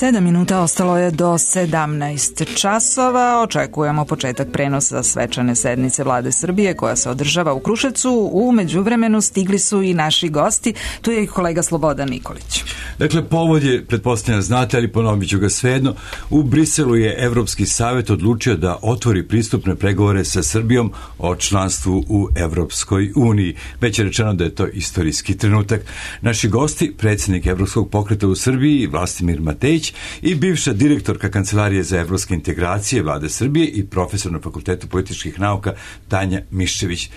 7 minuta ostalo je do 17 časova. Očekujemo početak prenosa svečane sednice Vlade Srbije koja se održava u Kruševcu. U međuvremenu stigli su i naši gosti. Tu je i kolega Slobodan Nikolić. Dakle, povod je, pretpostavljam znate, ali ponovit ću ga svejedno. U Briselu je Evropski savet odlučio da otvori pristupne pregovore sa Srbijom o članstvu u Evropskoj uniji. Već je rečeno da je to istorijski trenutak. Naši gosti, predsjednik Evropskog pokreta u Srbiji, Vlastimir Matejić, i bivša direktorka Kancelarije za evropske integracije Vlade Srbije i profesor na Fakultetu političkih nauka Tanja Miščević.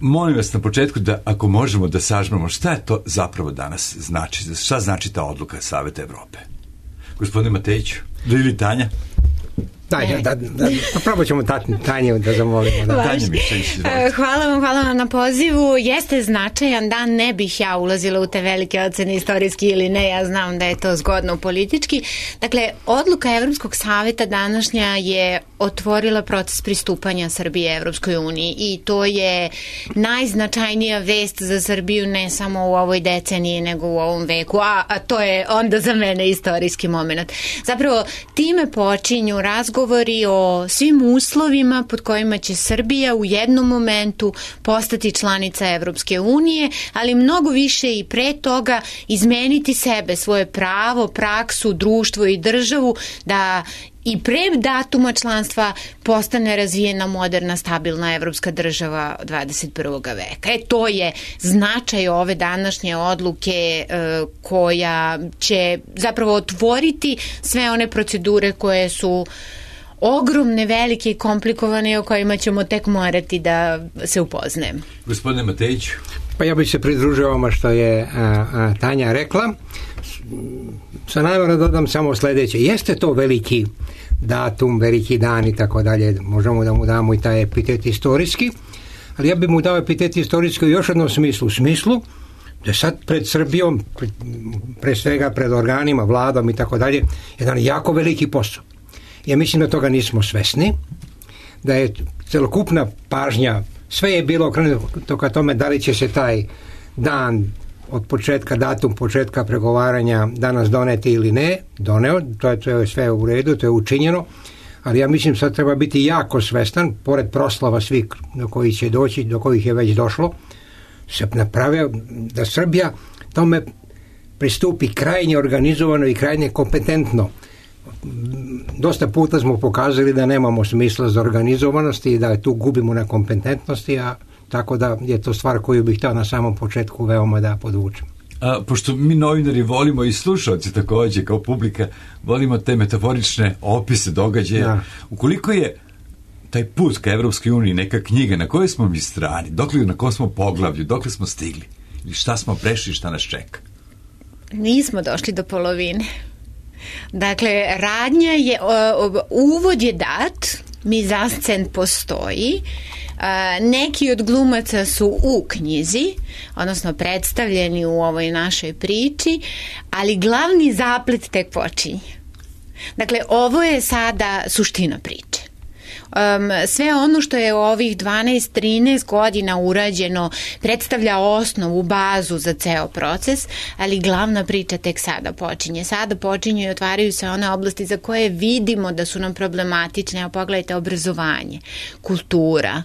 Molim vas na početku da, ako možemo, da sažmemo šta je to zapravo danas znači, šta znači ta odluka Saveta Evrope. Gospodine Matejiću, ili Tanja? Probat ćemo Tanju da zamolimo. Hvala vam na pozivu. Jeste značajan dan, ne bih ja ulazila u te velike ocene istorijski ili ne, ja znam da je to zgodno politički. Dakle, odluka Evropskog saveta današnja je otvorila proces pristupanja Srbije Evropskoj uniji i to je najznačajnija vest za Srbiju ne samo u ovoj deceniji nego u ovom veku, a to je onda za mene istorijski moment. Zapravo, time počinju razgovori o svim uslovima pod kojima će Srbija u jednom momentu postati članica Evropske unije, ali mnogo više i pre toga izmeniti sebe, svoje pravo, praksu, društvo i državu da i pre datuma članstva postane razvijena, moderna, stabilna evropska država 21. veka. To je značaj ove današnje odluke koja će zapravo otvoriti sve one procedure koje su ogromne, velike i komplikovane o kojima ćemo tek morati da se upoznajemo. Gospodine Matejić. Pa ja bih se pridružio ovome što je Tanja rekla. Sa najmora dodam samo sljedeće. Jeste to veliki datum, veliki dan i tako dalje. Možemo da mu damo i taj epitet istorijski, ali ja bih mu dao epitet istorijski u još jednom smislu. U smislu da sad pred Srbijom, pre svega pred organima, vladom i tako dalje, jedan jako veliki posao. Ja mislim da toga nismo svesni, da je celokupna pažnja, sve je bilo okrenuto ka tome da li će se taj dan od početka, datum početka pregovaranja danas doneti ili ne, doneo, to je sve u redu, to je učinjeno, ali ja mislim sad treba biti jako svestan, pored proslava svih do kojih će doći, do kojih je već došlo, se napravio da Srbija tome pristupi krajnje organizovano i krajnje kompetentno. Dosta puta smo pokazali da nemamo smisla za organizovanost i da tu gubimo na kompetentnosti, a tako da je to stvar koju bih htio na samom početku veoma da podvučem. Pošto mi novinari volimo i slušalci također kao publika, volimo te metaforične opise događaja, ukoliko je taj put ka Evropskoj uniji neka knjiga, na kojoj smo mi strani, dokle, na kojom smo poglavlju, dokle smo stigli, ili šta smo prešli, šta nas čeka? Nismo došli do polovine. Dakle, radnja je, uvod je dat, mizanscen postoji, neki od glumaca su u knjizi, odnosno predstavljeni u ovoj našoj priči, ali glavni zaplet tek počinje. Dakle, ovo je sada suština priče. Sve ono što je u ovih 12-13 godina urađeno predstavlja osnovu, bazu za ceo proces, ali glavna priča tek sada počinje. Sada počinju i otvaraju se one oblasti za koje vidimo da su nam problematične. Pogledajte, obrazovanje, kultura,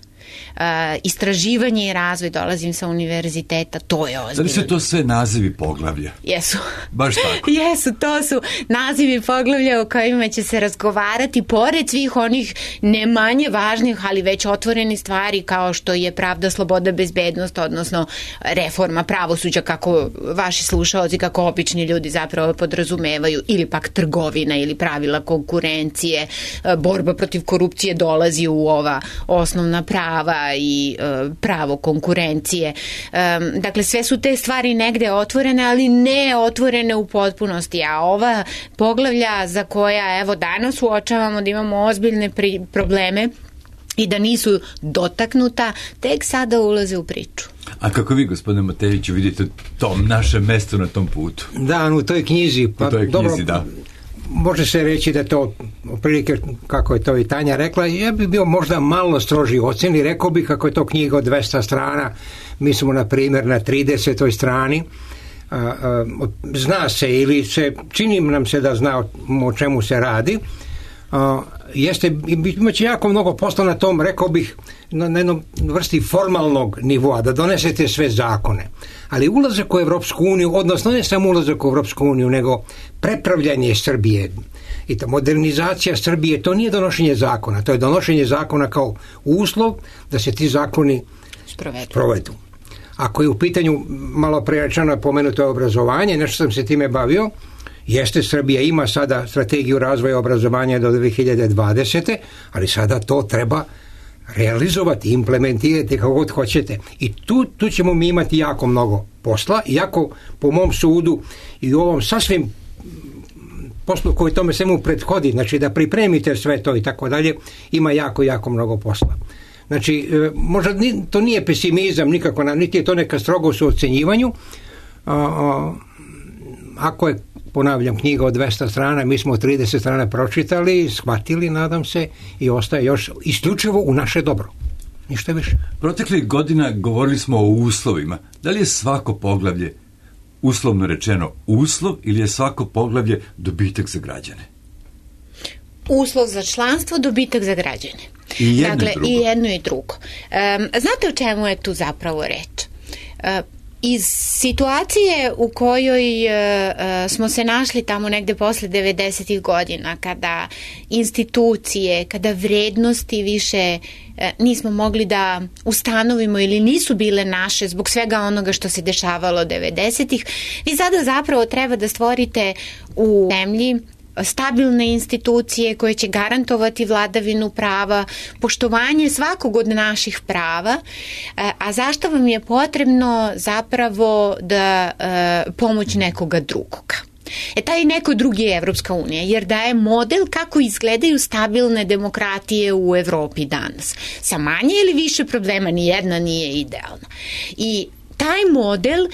istraživanje i razvoj, dolazim sa univerziteta, to je ozbiljno. Da li su to sve nazivi poglavlja? Jesu. Baš tako? Jesu, to su nazivi poglavlja o kojima će se razgovarati, pored svih onih ne manje važnih, ali već otvorenih stvari kao što je pravda, sloboda, bezbednost, odnosno reforma pravosuđa, kako vaši slušaoci, kako obični ljudi zapravo podrazumevaju, ili pak trgovina ili pravila konkurencije, borba protiv korupcije dolazi u ova osnovna prava i pravo konkurencije. Dakle, sve su te stvari negde otvorene, ali ne otvorene u potpunosti, a ova poglavlja za koja evo danas uočavamo da imamo ozbiljne probleme i da nisu dotaknuta, tek sada ulaze u priču. A kako vi, gospodine Matejiću, vidite to naše mesto na tom putu? Da, u toj knjizi. U toj knjizi, da. Može se reći da to, otprilike kako je to i Tanja rekla, ja bih bio možda malo stroži u ocjeni, rekao bih kako je to knjiga od 200 strana, mi smo na primjer na 30. strani, zna se ili se čini nam se da zna o čemu se radi, imaće jako mnogo posla na tom, rekao bih, na jednom vrsti formalnog nivoa, da donesete sve zakone. Ali ulazak u Evropsku uniju, odnosno ne samo ulazak u Evropsku uniju, nego prepravljanje Srbije i ta modernizacija Srbije, to nije donošenje zakona, to je donošenje zakona kao uslov da se ti zakoni sprovedu. Ako je u pitanju malo prerečeno pomenuto je obrazovanje, nešto sam se time bavio, jeste, Srbija ima sada strategiju razvoja obrazovanja do 2020. ali sada to treba realizovati, implementirati kako god hoćete. I tu ćemo mi imati jako mnogo posla, iako po mom sudu i u ovom sasvim poslu koji tome svemu prethodi, znači da pripremite sve to i tako dalje, ima jako, jako mnogo posla. Znači, možda to nije pesimizam nikako, niti je to neka strogost u ocenjivanju. Ako je, ponavljam, knjiga od 200 strana, mi smo 30 strana pročitali, shvatili, nadam se, i ostaje još isključivo u naše dobro. Ništa više. Proteklih godina govorili smo o uslovima. Da li je svako poglavlje, uslovno rečeno, uslov ili je svako poglavlje dobitak za građane? Uslov za članstvo, dobitak za građane. I jedno i jedno i drugo. Znate o čemu je tu zapravo reč? Iz situacije u kojoj smo se našli tamo negde posle 90. godina, kada institucije, kada vrednosti više nismo mogli da ustanovimo ili nisu bile naše zbog svega onoga što se dešavalo 90-ih, vi sada zapravo treba da stvorite u zemlji stabilne institucije koje će garantovati vladavinu prava, poštovanje svakog od naših prava, a zašto vam je potrebno zapravo da pomoć nekoga drugoga. Taj neko drugi je Evropska unija, jer daje model kako izgledaju stabilne demokratije u Evropi danas. Sa manje ili više problema, nijedna nije idealna. I taj model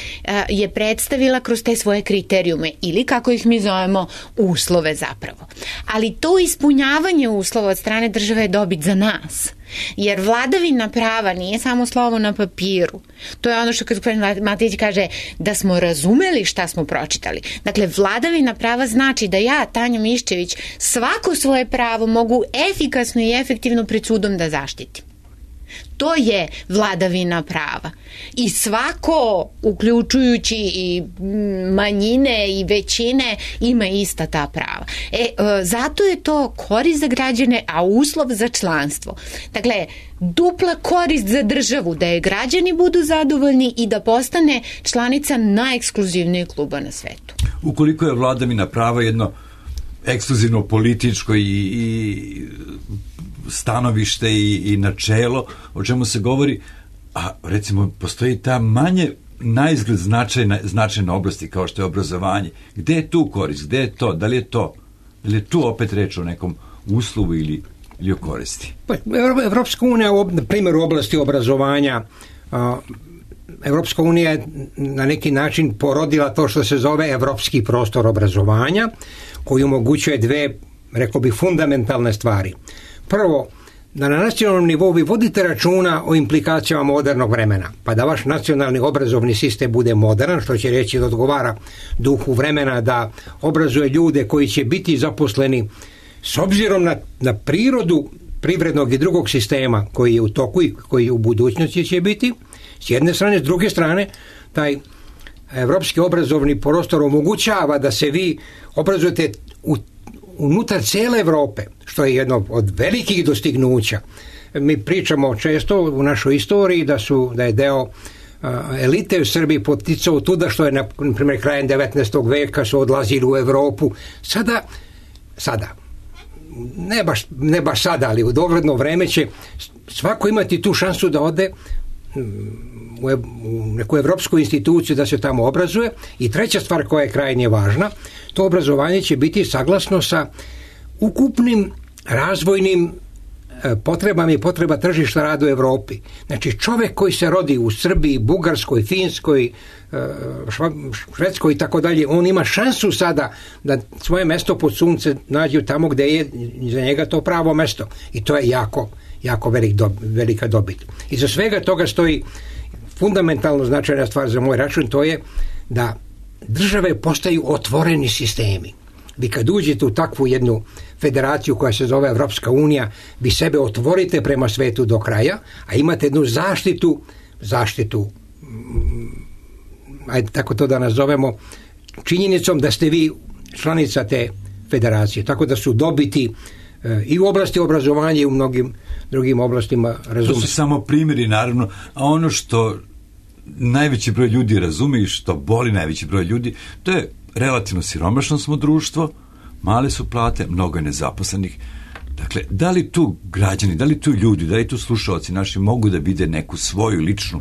je predstavila kroz te svoje kriterijume ili, kako ih mi zovemo, uslove zapravo. Ali to ispunjavanje uslova od strane države je dobit za nas. Jer vladavina prava nije samo slovo na papiru. To je ono što gospodin Matić kaže, da smo razumeli šta smo pročitali. Dakle, vladavina prava znači da ja, Tanja Miščević, svako svoje pravo mogu efikasno i efektivno pred sudom da zaštitim. To je vladavina prava. I svako, uključujući i manjine i većine, ima ista ta prava. Zato je to korist za građane, a uslov za članstvo. Dakle, dupla korist za državu, da je građani budu zadovoljni i da postane članica najekskluzivnijeg kluba na svetu. Ukoliko je vladavina prava jedno ekskluzivno političko i stanovište i načelo, o čemu se govori, a recimo postoji ta manje naizgled značajna oblasti kao što je obrazovanje. Gde je tu korist? Gde je to? Da li je to? Da li je tu opet reč o nekom uslovu ili o koristi? Evropska unija, na primjer u oblasti obrazovanja, Evropska unija je na neki način porodila to što se zove evropski prostor obrazovanja, koji omogućuje dve, rekao bih, fundamentalne stvari. Prvo, da na nacionalnom nivou vi vodite računa o implikacijama modernog vremena, pa da vaš nacionalni obrazovni sistem bude modern, što će reći da odgovara duhu vremena, da obrazuje ljude koji će biti zaposleni s obzirom na prirodu privrednog i drugog sistema koji je u toku i koji u budućnosti će biti, s jedne strane. S druge strane, taj evropski obrazovni prostor omogućava da se vi obrazujete unutar cijele Evrope, što je jedno od velikih dostignuća. Mi pričamo često u našoj istoriji da je deo elite u Srbiji poticao tuda što je, na primjer, krajem 19. veka su odlazili u Evropu. Sada, ne baš sada, ali u dogledno vreme će svako imati tu šansu da ode u neku evropsku instituciju da se tamo obrazuje. I treća stvar koja je krajnje važna, to obrazovanje će biti saglasno sa ukupnim razvojnim potrebama i potreba tržišta rada u Evropi. Znači, čovjek koji se rodi u Srbiji, Bugarskoj, Finskoj, Švedskoj i tako dalje, on ima šansu sada da svoje mesto pod sunce nađe tamo gdje je za njega to pravo mesto. I to je jako velika dobit. Iza svega toga stoji fundamentalno značajna stvar za moj račun, to je da države postaju otvoreni sistemi. Vi kad uđete u takvu jednu federaciju koja se zove Evropska unija, vi sebe otvorite prema svetu do kraja, a imate jednu zaštitu, ajde tako to da nazovemo, činjenicom da ste vi članica te federacije. Tako da su dobiti i u oblasti obrazovanja i u mnogim drugim oblastima razume. To su samo primjeri, naravno, a ono što najveći broj ljudi razume i što boli najveći broj ljudi, to je relativno siromašno smo društvo, male su plate, mnogo je nezaposlenih. Dakle, da li tu građani, da li tu ljudi, da li tu slušalci naši mogu da vide neku svoju ličnu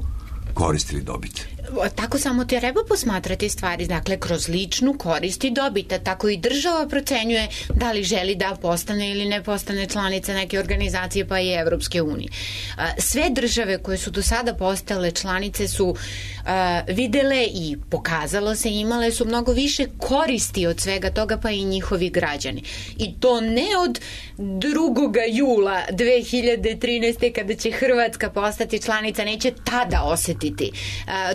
korist ili dobit? Tako samo treba posmatrati stvari, dakle, kroz ličnu korist i dobit, tako i država procenjuje da li želi da postane ili ne postane članica neke organizacije, pa i Evropske unije. Sve države koje su do sada postale članice su videle i pokazalo se, imale su mnogo više koristi od svega toga, pa i njihovi građani. I to ne od 2. jula 2013. kada će Hrvatska postati članica, neće tada osetiti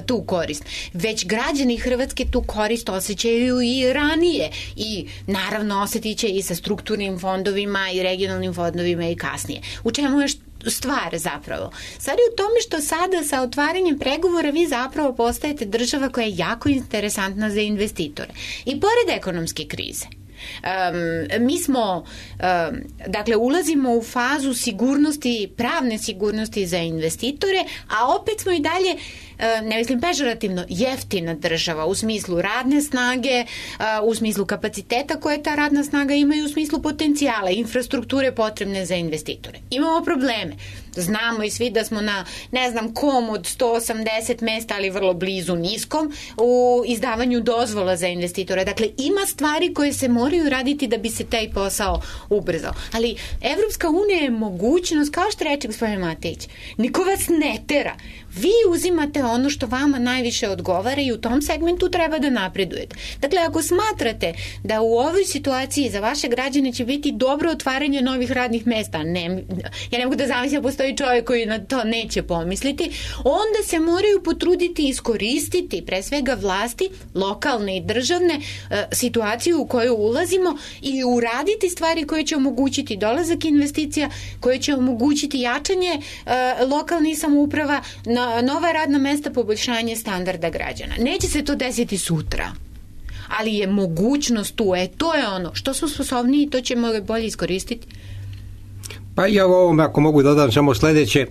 tu korist. Već građani Hrvatske tu korist osjećaju i ranije i naravno osjetit će i sa strukturnim fondovima i regionalnim fondovima i kasnije. U čemu je stvar zapravo? Stvar je u tome što sada sa otvaranjem pregovora vi zapravo postajete država koja je jako interesantna za investitore. I pored ekonomske krize, mi smo, dakle, ulazimo u fazu sigurnosti, pravne sigurnosti za investitore, a opet smo i dalje, ne mislim pežorativno, jeftina država u smislu radne snage, u smislu kapaciteta koje ta radna snaga ima i u smislu potencijala, infrastrukture potrebne za investitore. Imamo probleme. Znamo i svi da smo na, ne znam kom od 180 mesta, ali vrlo blizu niskom, u izdavanju dozvola za investitore. Dakle, ima stvari koje se moraju raditi da bi se taj posao ubrzao. Ali Evropska unija je mogućnost, kao što reče gospodin Matejić, niko vas ne tera. Vi uzimate ono što vama najviše odgovara i u tom segmentu treba da napredujete. Dakle, ako smatrate da u ovoj situaciji za vaše građane će biti dobro otvaranje novih radnih mesta, ja ne mogu da zamislim da postoji čovjek koji na to neće pomisliti, onda se moraju potruditi i iskoristiti pre svega vlasti, lokalne i državne, situaciju u koju ulazimo i uraditi stvari koje će omogućiti dolazak investicija, koje će omogućiti jačanje lokalnih samouprava, nova radna mesta, poboljšanje standarda građana. Neće se to desiti sutra, ali je mogućnost tu. To je ono što smo sposobniji, to ćemo bolje iskoristiti. Pa ja ovom, ako mogu dodam samo sledeće,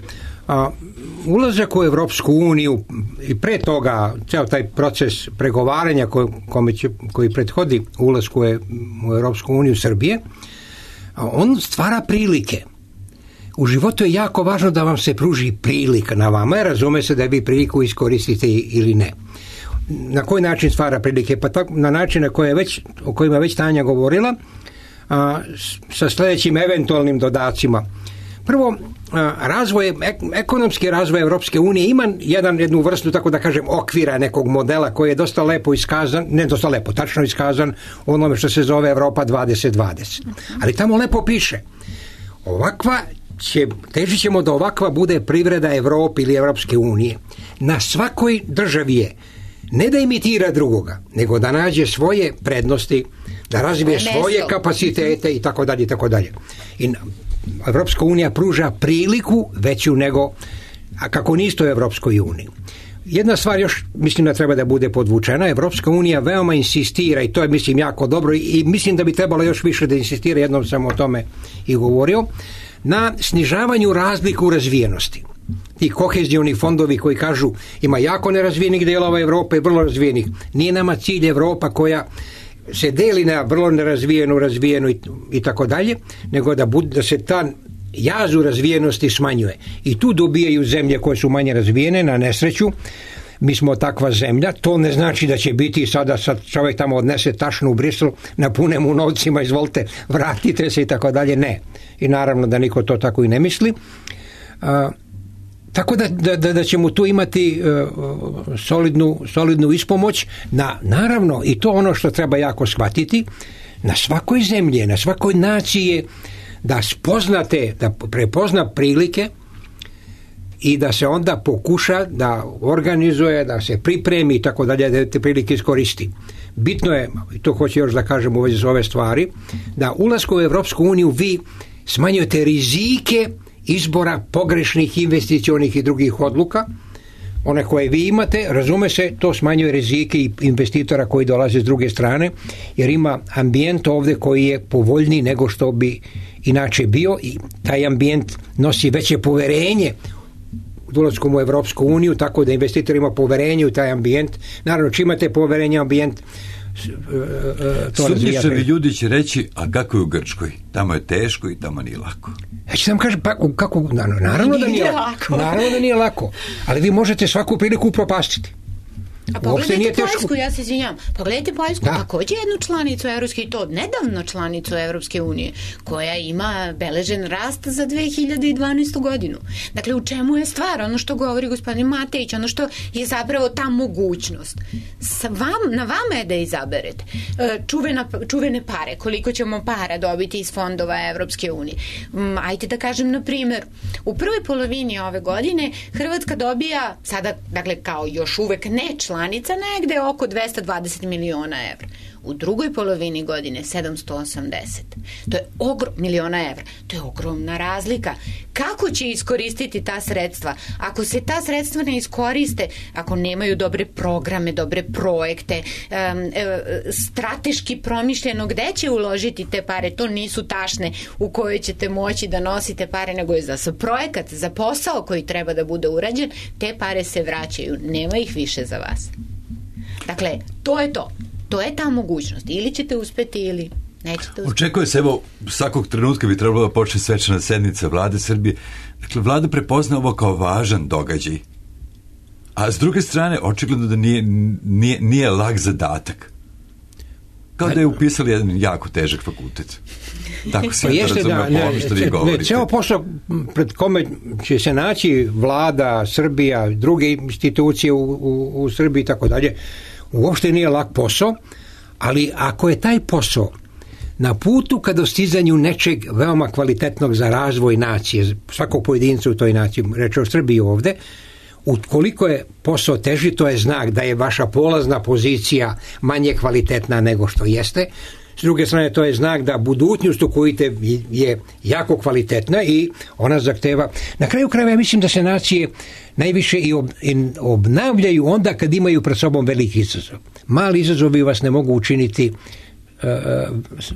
ulazak u Evropsku uniju i pre toga ceo taj proces pregovaranja koji prethodi ulasku u Evropsku uniju Srbije, on stvara prilike. U životu je jako važno da vam se pruži prilika na vama, razume se da vi priliku iskoristite ili ne. Na koji način stvara prilike? Pa tako, na način o kojima je već Tanja govorila, sa sljedećim eventualnim dodacima. Prvo, ekonomski razvoj Evropske unije ima jednu vrstu, tako da kažem, okvira nekog modela koji je dosta lepo iskazan, ne dosta lepo, tačno iskazan u onome što se zove Evropa 2020. Ali tamo lepo piše, težit ćemo da ovakva bude privreda Evrope ili Evropske unije. Na svakoj državi je ne da imitira drugoga, nego da nađe svoje prednosti, da razvije svoje kapacitete i tako dalje i tako dalje. I Evropska unija pruža priliku veću nego kako niste u Evropskoj uniji. Jedna stvar još mislim da treba da bude podvučena, Evropska unija veoma insistira i to je mislim jako dobro i mislim da bi trebalo još više da insistira, jednom sam o tome i govorio, na snižavanju razlika u razvijenosti. Ti kohezioni fondovi koji kažu ima jako nerazvijenih delova Evrope i vrlo razvijenih. Nije nama cilj Evropa koja se deli na vrlo nerazvijenu, razvijenu i tako dalje, nego da se ta jaz u razvijenosti smanjuje. I tu dobijaju zemlje koje su manje razvijene, na nesreću. Mi smo takva zemlja, to ne znači da će biti sada čovjek tamo odnese tašnu u Brisel, napune mu novcima, izvolite, vratite se i tako dalje, ne. I naravno da niko to tako i ne misli. Tako da ćemo tu imati solidnu ispomoć, naravno, i to ono što treba jako shvatiti, na svakoj zemlji, na svakoj naciji da prepozna prilike i da se onda pokuša da organizuje, da se pripremi i tako dalje, da te prilike iskoristi. Bitno je, i to hoću još da kažem u vezi s ove stvari, da ulaskom u Evropsku uniju vi smanjujete rizike izbora pogrešnih investicionih i drugih odluka, one koje vi imate, razume se, to smanjuje rizike i investitora koji dolaze s druge strane, jer ima ambijent ovde koji je povoljniji nego što bi inače bio i taj ambijent nosi veće poverenje ulaskom u Evropsku uniju, tako da investitor ima poverenje u taj ambijent. Naravno, čim imate poverenje u ambijent, Sumnjičavi ljudi će reći, a kako je u Grčkoj? Tamo je teško i tamo nije lako. Ja ću vam kažem, pa kako, naravno da nije lako. Naravno da nije lako, ali vi možete svaku priliku upropastiti. A pogledajte Poljsku, ja se izvinjam, pogledajte Poljsku, također jednu članicu Evropske, i to nedavno članicu Evropske unije, koja ima beležen rast za 2012. godinu. Dakle, u čemu je stvar? Ono što govori gospodin Matejić, ono što je zapravo ta mogućnost. Na vama je da izaberete čuvene pare, koliko ćemo para dobiti iz fondova Evropske unije. Ajde da kažem, na primjer, u prvoj polovini ove godine Hrvatska dobija, sada, dakle, kao još uvek ne članica, negde oko 220 miliona evra. U drugoj polovini godine 780. To je miliona evra. To je ogromna razlika. Kako će iskoristiti ta sredstva? Ako se ta sredstva ne iskoriste, ako nemaju dobre programe, dobre projekte, strateški promišljeno gde će uložiti te pare, to nisu tašne u kojoj ćete moći da nosite pare, nego je za projekat, za posao koji treba da bude urađen, te pare se vraćaju. Nema ih više za vas. Dakle, to je to. To je ta mogućnost. Ili ćete uspeti ili nećete uspeti. Očekuje se, evo, svakog trenutka bi trebalo da počne svečana sednica Vlade Srbije. Dakle, Vlada prepozna ovo kao važan događaj. A s druge strane, očigledno da nije lak zadatak. Kao da je upisali jedan jako težak fakultet. Tako se to razume po ovome što vi govorite. Ceo posao pred kome će se naći Vlada, Srbija, druge institucije u Srbiji i tako dalje, uopšte nije lak posao, ali ako je taj posao na putu ka dostizanju nečeg veoma kvalitetnog za razvoj nacije, svakog pojedinca u toj naciji, reč o Srbiji ovde, ukoliko je posao teži, to je znak da je vaša polazna pozicija manje kvalitetna nego što jeste. S druge strane, to je znak da budućnost u koju je jako kvalitetna i ona zahteva. Na kraju krajeva, ja mislim da se nacije najviše i obnavljaju onda kad imaju pred sobom veliki izazov. Mali izazovi vas ne mogu učiniti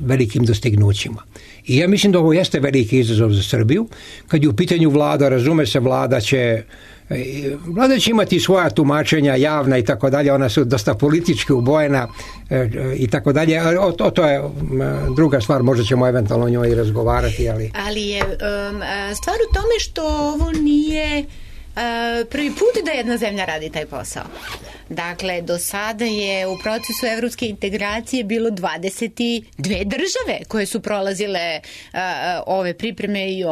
velikim dostignućima. I ja mislim da ovo jeste veliki izazov za Srbiju. Kad je u pitanju Vlada, razume se, Vlada će imati svoja tumačenja javna i tako dalje, ona su dosta politički ubojena i tako dalje, to je druga stvar, možda ćemo eventualno o njoj i razgovarati, ali je stvar u tome što ovo nije prvi put da jedna zemlja radi taj posao. Dakle, do sada je u procesu evropske integracije bilo 22 države koje su prolazile ove pripreme i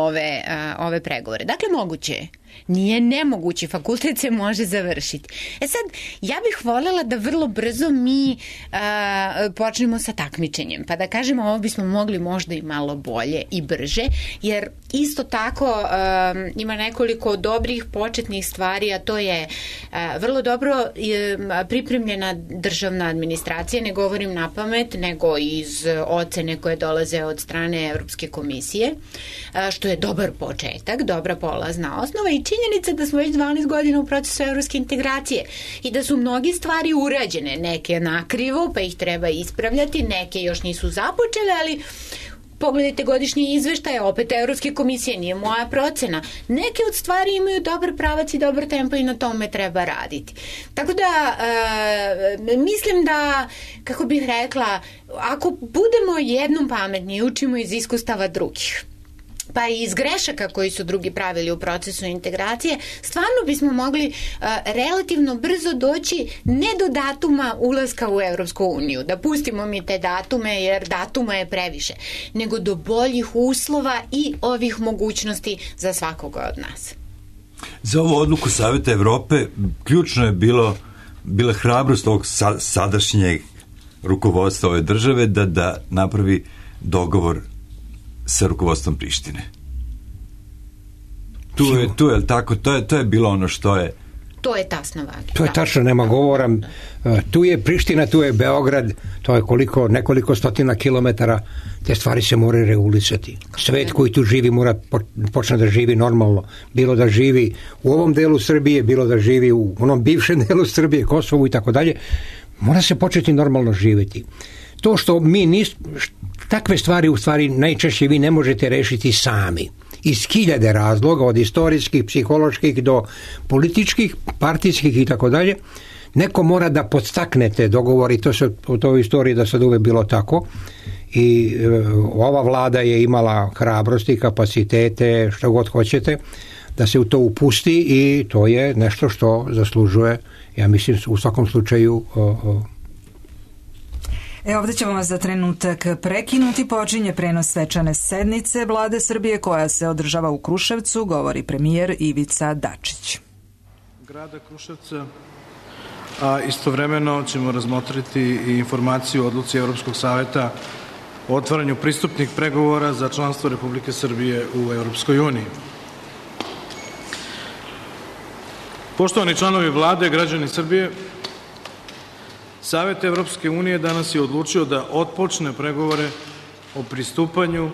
ove pregovore. Dakle, moguće je. Nije nemoguće, fakultet se može završiti. Sad, ja bih voljela da vrlo brzo mi počnemo sa takmičenjem, pa da kažemo ovo bismo mogli možda i malo bolje i brže, jer isto tako ima nekoliko dobrih početnih stvari, a to je vrlo dobro pripremljena državna administracija, ne govorim na pamet, nego iz ocene koje dolaze od strane Evropske komisije, što je dobar početak, dobra polazna osnova i činjenica da smo već 12 godina u procesu evropske integracije i da su mnogi stvari urađene, neke nakrivo pa ih treba ispravljati, neke još nisu započele, ali pogledajte godišnje izveštaje, opet Evropske komisije, nije moja procena. Neke od stvari imaju dobar pravac i dobar tempo i na tome treba raditi. Tako da, mislim da, kako bih rekla, ako budemo jednom pametni i učimo iz iskustava drugih, pa i iz grešaka koji su drugi pravili u procesu integracije, stvarno bismo mogli relativno brzo doći ne do datuma ulaska u Evropsku uniju, da pustimo mi te datume jer datuma je previše, nego do boljih uslova i ovih mogućnosti za svakoga od nas. Za ovu odluku Saveta Evrope ključno je bila hrabrost ovog sadašnjeg rukovodstva ove države da napravi dogovor sa rukovodstvom Prištine. Tu je tako, to je bilo ono što je. To je tasno važno. To je tačno, nema govora. Tu je Priština, tu je Beograd, to je nekoliko stotina kilometara, te stvari se moraju regulisati. Svet koji tu živi mora počne da živi normalno. Bilo da živi u ovom delu Srbije, bilo da živi u onom bivšem delu Srbije, Kosovu i tako dalje. Mora se početi normalno živjeti. To što takve stvari u stvari najčešće vi ne možete rešiti sami. Iz hiljade razloga, od istorijskih, psiholoških do političkih, partijskih i tako dalje, neko mora da podstaknete dogovori, to se u toj istoriji da sad uvek bilo tako i ova vlada je imala hrabrosti, kapacitete, što god hoćete, da se u to upusti i to je nešto što zaslužuje, ja mislim, u svakom slučaju. Ovdje ćemo vas za trenutak prekinuti. Počinje prenos svečane sednice Vlade Srbije koja se održava u Kruševcu, govori premijer Ivica Dačić. Grada Kruševca, a istovremeno ćemo razmotriti i informaciju o odluci Evropskog saveta o otvaranju pristupnih pregovora za članstvo Republike Srbije u Evropskoj uniji. Poštovani članovi Vlade, građani Srbije, Savet Evropske unije danas je odlučio da otpočne pregovore o pristupanju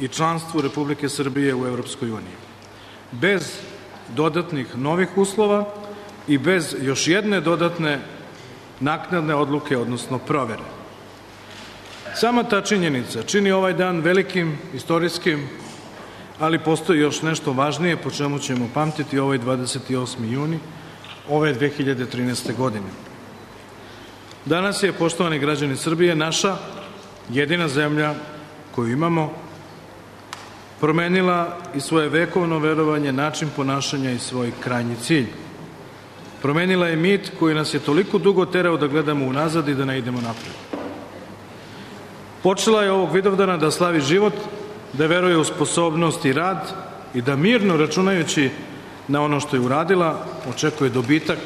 i članstvu Republike Srbije u Evropskoj uniji. Bez dodatnih novih uslova i bez još jedne dodatne naknadne odluke, odnosno provere. Sama ta činjenica čini ovaj dan velikim, istorijskim, ali postoji još nešto važnije po čemu ćemo pamtiti ovaj 28. juni ove 2013. godine. Danas je, poštovani građani Srbije, naša jedina zemlja koju imamo promenila i svoje vekovno verovanje, način ponašanja i svoj krajnji cilj. Promenila je mit koji nas je toliko dugo terao da gledamo unazad i da ne idemo napred. Počela je ovog Vidovdana da slavi život, da veruje u sposobnost i rad i da mirno, računajući na ono što je uradila, očekuje dobitak,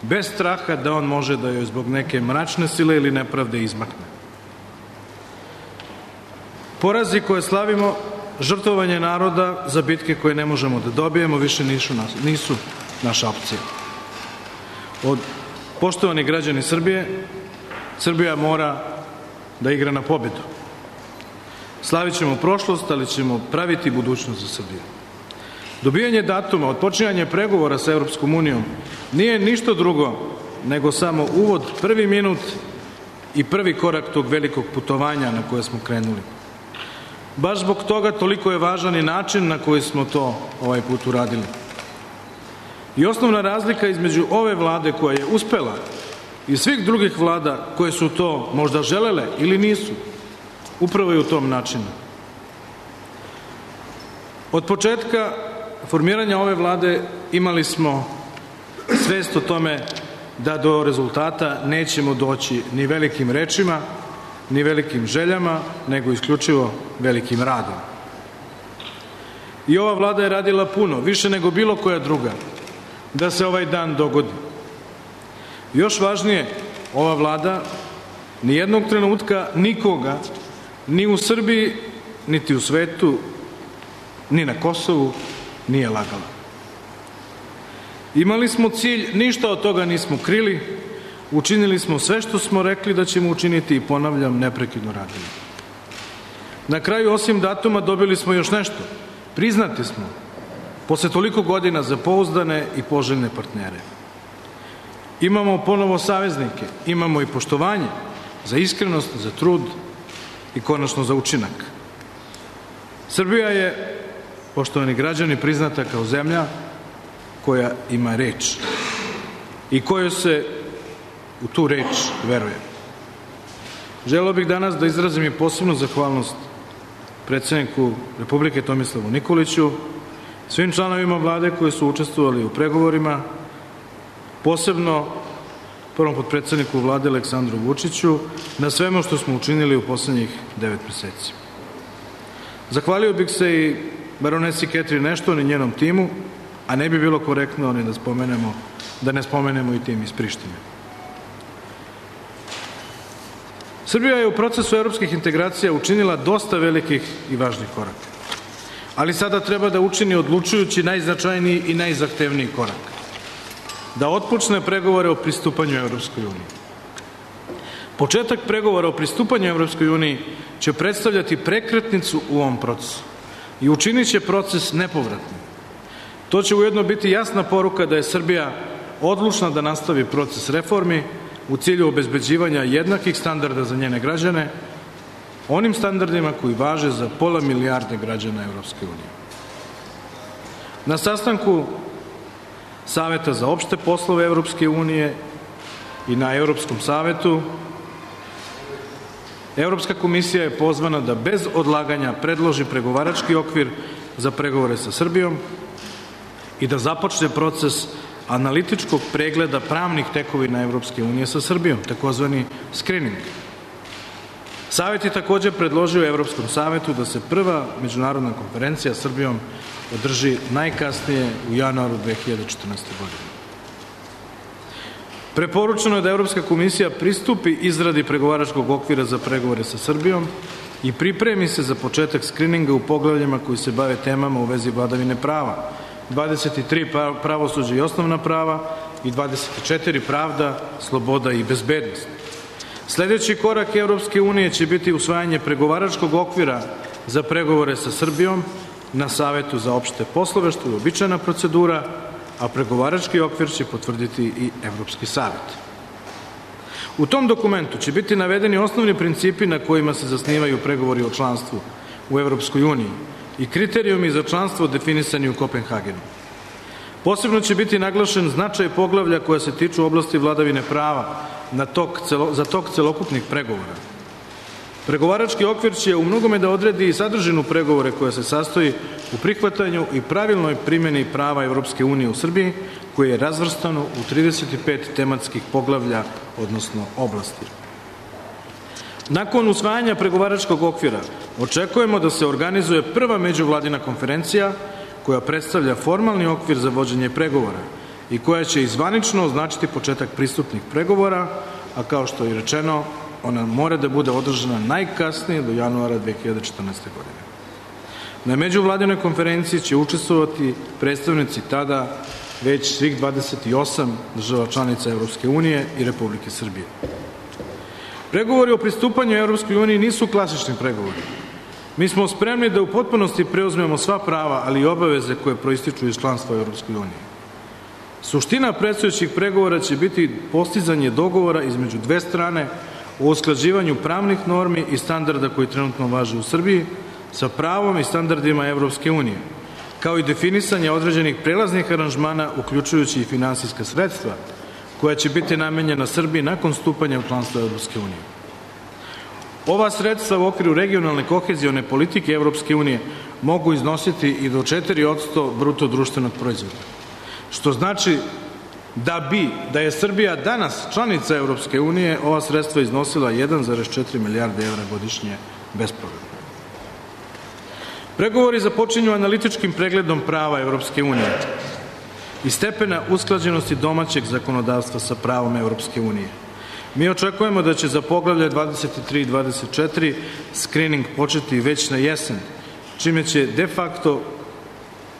bez straha da on može da joj zbog neke mračne sile ili nepravde izmakne. Porazi koje slavimo, žrtvovanje naroda za bitke koje ne možemo da dobijemo, više nisu naša opcija. Poštovani građani Srbije, Srbija mora da igra na pobedu. Slavit ćemo prošlost, ali ćemo praviti budućnost za Srbiju. Dobijanje datuma, odpočinjanje pregovora sa Evropskom unijom nije ništa drugo nego samo uvod, prvi minut i prvi korak tog velikog putovanja na koje smo krenuli. Baš zbog toga toliko je važan i način na koji smo to ovaj put uradili. I osnovna razlika između ove vlade koja je uspela i svih drugih vlada koje su to možda želele ili nisu, upravo je u tom načinu. Od početka formiranja ove vlade imali smo svest o tome da do rezultata nećemo doći ni velikim rečima, ni velikim željama, nego isključivo velikim radom. I ova vlada je radila puno, više nego bilo koja druga, da se ovaj dan dogodi. Još važnije, ova vlada nijednog trenutka nikoga, ni u Srbiji, niti u svetu, ni na Kosovu, nije lagala. Imali smo cilj, ništa od toga nismo krili, učinili smo sve što smo rekli da ćemo učiniti i, ponavljam, neprekidno radili. Na kraju, osim datuma, dobili smo još nešto. Priznati smo, posle toliko godina, za pouzdane i poželjne partnere. Imamo ponovo saveznike, imamo i poštovanje za iskrenost, za trud i konačno za učinak. Srbija je, poštovani građani, priznata kao zemlja koja ima reč i kojoj se u tu reč veruje. Želeo bih danas da izrazim i posebnu zahvalnost predsjedniku Republike Tomislavu Nikoliću, svim članovima vlade koji su učestvovali u pregovorima, posebno prvom potpredsjedniku vlade Aleksandru Vučiću, na svemu što smo učinili u poslednjih 9 meseci. Zahvalio bih se i baronesi Catherine Ashton i njenom timu, a ne bi bilo korektno ni da ne spomenemo i tim iz Prištine. Srbija je u procesu evropskih integracija učinila dosta velikih i važnih koraka. ali sada treba da učini odlučujući najznačajniji i najzahtevniji korak. Da otpočne pregovore o pristupanju Evropskoj uniji. Početak pregovora o pristupanju Evropskoj uniji će predstavljati prekretnicu u ovom procesu i učinit će proces nepovratnim. To će ujedno biti jasna poruka da je Srbija odlučna da nastavi proces reformi u cilju obezbeđivanja jednakih standarda za njene građane, onim standardima koji važe za 500 milijarde građana Evropske unije. Na sastanku Saveta za opšte poslove Evropske unije i na Evropskom savetu Evropska komisija je pozvana da bez odlaganja predloži pregovarački okvir za pregovore sa Srbijom i da započne proces analitičkog pregleda pravnih tekovina Evropske unije sa Srbijom, takozvani screening. Savet je također predložio Evropskom savetu da se prva međunarodna konferencija s Srbijom održi najkasnije u januaru 2014. godine. Preporučeno je da Evropska komisija pristupi izradi pregovaračkog okvira za pregovore sa Srbijom i pripremi se za početak skrininga u poglavljima koji se bave temama u vezi vladavine prava, 23 pravosuđe i osnovna prava i 24 pravda, sloboda i bezbednost. Sljedeći korak Evropske unije će biti usvajanje pregovaračkog okvira za pregovore sa Srbijom na Savetu za opšte poslove, što je uobičajena procedura, a pregovarački okvir će potvrditi i Evropski savet. U tom dokumentu će biti navedeni osnovni principi na kojima se zasnivaju pregovori o članstvu u Evropskoj uniji i kriterijumi za članstvo definisani u Kopenhagenu. Posebno će biti naglašen značaj poglavlja koja se tiču oblasti vladavine prava za tok celokupnih pregovora. Pregovarački okvir će u mnogome da odredi i sadržinu pregovore koja se sastoji u prihvatanju i pravilnoj primjeni prava Evropske unije u Srbiji, koje je razvrstano u 35 tematskih poglavlja, odnosno oblasti. Nakon usvajanja pregovaračkog okvira očekujemo da se organizuje prva međuvladina konferencija koja predstavlja formalni okvir za vođenje pregovora i koja će izvanično označiti početak pristupnih pregovora, a kao što je rečeno, ona mora da bude održana najkasnije do januara 2014. godine. Na međuvladinoj konferenciji će učestvovati predstavnici tada već svih 28 država članica Evropske unije i Republike Srbije. Pregovori o pristupanju Evropskoj uniji nisu klasični pregovori. Mi smo spremni da u potpunosti preuzmemo sva prava, ali i obaveze koje proističu iz članstva u Evropskoj uniji. Suština predstojećih pregovora će biti postizanje dogovora između dve strane o usklađivanju pravnih normi i standarda koji trenutno važe u Srbiji sa pravom i standardima Evropske unije, kao i definisanje određenih prelaznih aranžmana, uključujući i finansijska sredstva, koja će biti namenjena Srbiji nakon stupanja u članstvo Evropske unije. Ova sredstva u okviru regionalne kohezione politike Evropske unije mogu iznositi i do 4% bruto društvenog proizvoda, što znači da je Srbija danas članica Evropske unije, ova sredstva iznosila 1,4 milijarde evra godišnje bespovratno. Pregovori započinju analitičkim pregledom prava Evropske unije i stepena usklađenosti domaćeg zakonodavstva sa pravom Evropske unije. Mi očekujemo da će za poglavlje 23 i 24 screening početi već na jesen, čime će de facto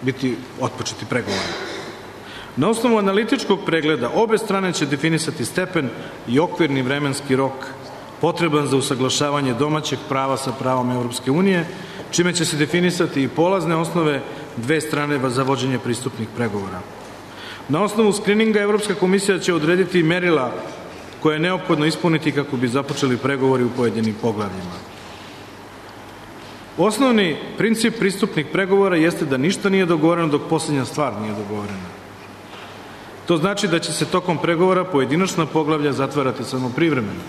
biti otpočeti pregovori. Na osnovu analitičkog pregleda obe strane će definisati stepen i okvirni vremenski rok potreban za usaglašavanje domaćeg prava sa pravom Evropske unije, čime će se definisati i polazne osnove dve strane za vođenje pristupnih pregovora. Na osnovu skrininga Evropska komisija će odrediti merila koje je neophodno ispuniti kako bi započeli pregovori u pojedinim poglavljima. Osnovni princip pristupnih pregovora jeste da ništa nije dogovoreno dok posljednja stvar nije dogovorena. To znači da će se tokom pregovora pojedinačna poglavlja zatvarati samo privremeno.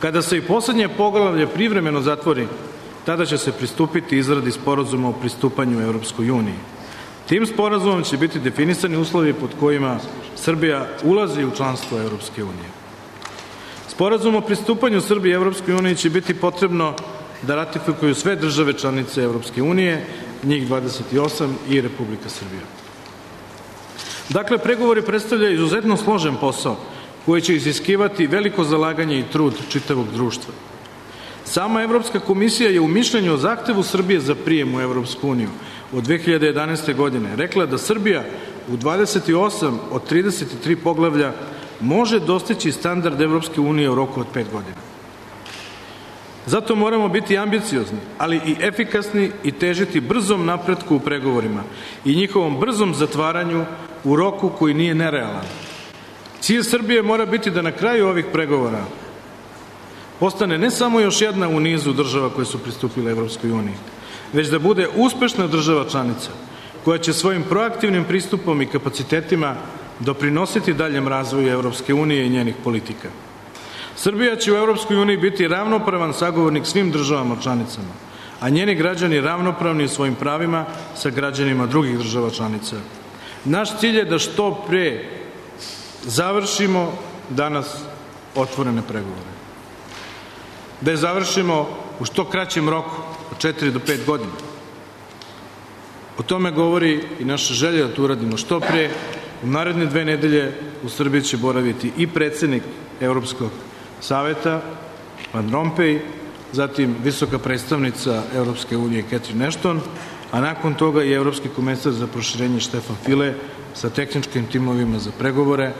Kada se i posljednje poglavlje privremeno zatvori, tada će se pristupiti izradi sporazuma o pristupanju Evropskoj uniji. Tim sporazumom će biti definisani uslovi pod kojima Srbija ulazi u članstvo Evropske unije. Sporazum o pristupanju Srbije Evropskoj uniji će biti potrebno da ratifikuju sve države članice Evropske unije, njih 28 i Republika Srbija. Dakle, pregovori predstavljaju izuzetno složen posao koji će iziskivati veliko zalaganje i trud čitavog društva. Sama Evropska komisija je u mišljenju o zahtevu Srbije za prijem u Evropsku uniju od 2011. godine rekla da Srbija u 28 od 33 poglavlja može dostići standard Evropske unije u roku od 5 godina. Zato moramo biti ambiciozni, ali i efikasni i težiti brzom napretku u pregovorima i njihovom brzom zatvaranju u roku koji nije nerealan. Cilj Srbije mora biti da na kraju ovih pregovora postane ne samo još jedna u nizu država koje su pristupile Evropskoj uniji, već da bude uspešna država članica koja će svojim proaktivnim pristupom i kapacitetima doprinositi daljem razvoju Evropske unije i njenih politika. Srbija će u Evropskoj uniji biti ravnopravan sagovornik svim državama članicama, a njeni građani ravnopravni u svojim pravima sa građanima drugih država članica. Naš cilj je da što pre završimo danas otvorene pregovore. Da je završimo u što kraćem roku, od 4 do 5 godina. O tome govori i naša želja da to uradimo što pre. U naredne 2 nedelje u Srbiji će boraviti i predsednik Evropskog saveta, Van Rompuy, zatim visoka predstavnica Evropske unije Catherine Ashton, a nakon toga i Evropski komesar za proširenje Štefan File sa tehničkim timovima za pregovore,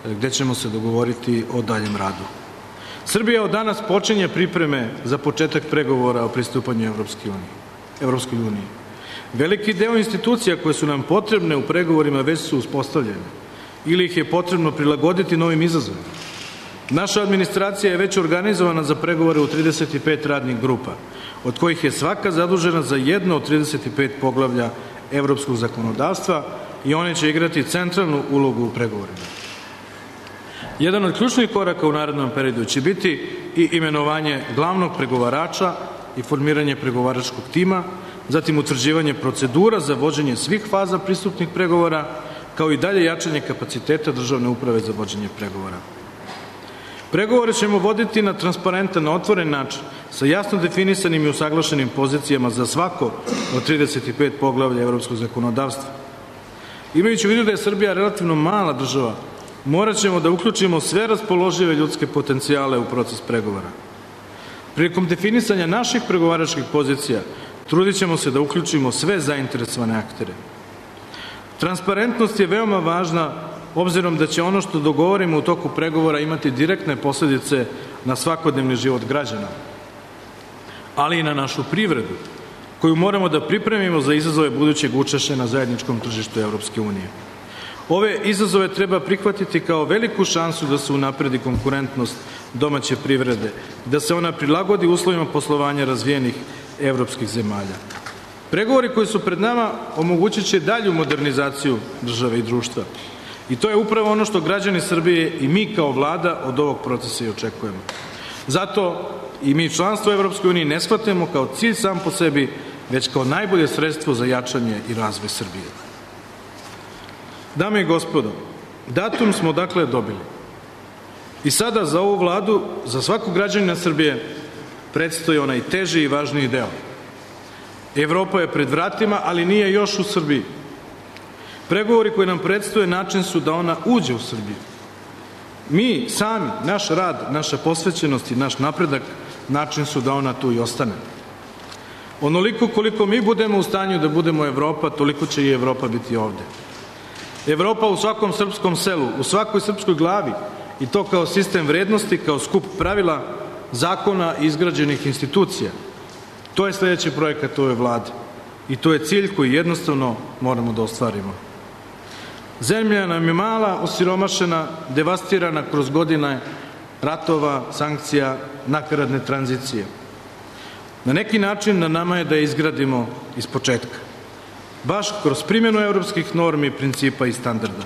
gde ćemo se dogovoriti o daljem radu. Srbija od danas počinje pripreme za početak pregovora o pristupanju Evropskoj uniji. Veliki deo institucija koje su nam potrebne u pregovorima već su uspostavljene ili ih je potrebno prilagoditi novim izazovima. Naša administracija je već organizovana za pregovore u 35 radnih grupa, od kojih je svaka zadužena za jedno od 35 poglavlja evropskog zakonodavstva i one će igrati centralnu ulogu u pregovorima. Jedan od ključnih koraka u narednom periodu će biti i imenovanje glavnog pregovarača i formiranje pregovaračkog tima, zatim utvrđivanje procedura za vođenje svih faza pristupnih pregovora, kao i dalje jačanje kapaciteta državne uprave za vođenje pregovora. Pregovore ćemo voditi na transparentan, otvoren način, sa jasno definisanim i usaglašenim pozicijama za svako od 35 poglavlja evropskog zakonodavstva. Imajući u vidu da je Srbija relativno mala država, morat ćemo da uključimo sve raspoložive ljudske potencijale u proces pregovora. Prilikom definisanja naših pregovaračkih pozicija, trudit ćemo se da uključimo sve zainteresovane aktere. Transparentnost je veoma važna, obzirom da će ono što dogovorimo u toku pregovora imati direktne posledice na svakodnevni život građana, ali i na našu privredu, koju moramo da pripremimo za izazove budućeg učešća na zajedničkom tržištu Evropske unije. Ove izazove treba prihvatiti kao veliku šansu da se unapredi konkurentnost domaće privrede, da se ona prilagodi uslovima poslovanja razvijenih evropskih zemalja. Pregovori koji su pred nama omogućit će dalju modernizaciju države i društva. I to je upravo ono što građani Srbije i mi kao vlada od ovog procesa i očekujemo. Zato i mi članstvo u Evropskoj uniji ne shvatimo kao cilj sam po sebi, već kao najbolje sredstvo za jačanje i razvoj Srbije. Dame i gospodo, datum smo dakle dobili. I sada za ovu vladu, za svakog građanina Srbije, predstoji onaj teži i važniji deo. Evropa je pred vratima, ali nije još u Srbiji. Pregovori koji nam predstoje način su da ona uđe u Srbiju. Mi sami, naš rad, naša posvećenost i naš napredak način su da ona tu i ostane. Onoliko koliko mi budemo u stanju da budemo Evropa, toliko će i Evropa biti ovde. Evropa u svakom srpskom selu, u svakoj srpskoj glavi, i to kao sistem vrednosti, kao skup pravila, zakona i izgrađenih institucija. To je sledeći projekat ove vlade. I to je cilj koji jednostavno moramo da ostvarimo. Zemlja nam je mala, osiromašena, devastirana kroz godine ratova, sankcija, nakaradne tranzicije. Na neki način na nama je da je izgradimo iz početka. Baš kroz primjenu evropskih normi, principa i standarda.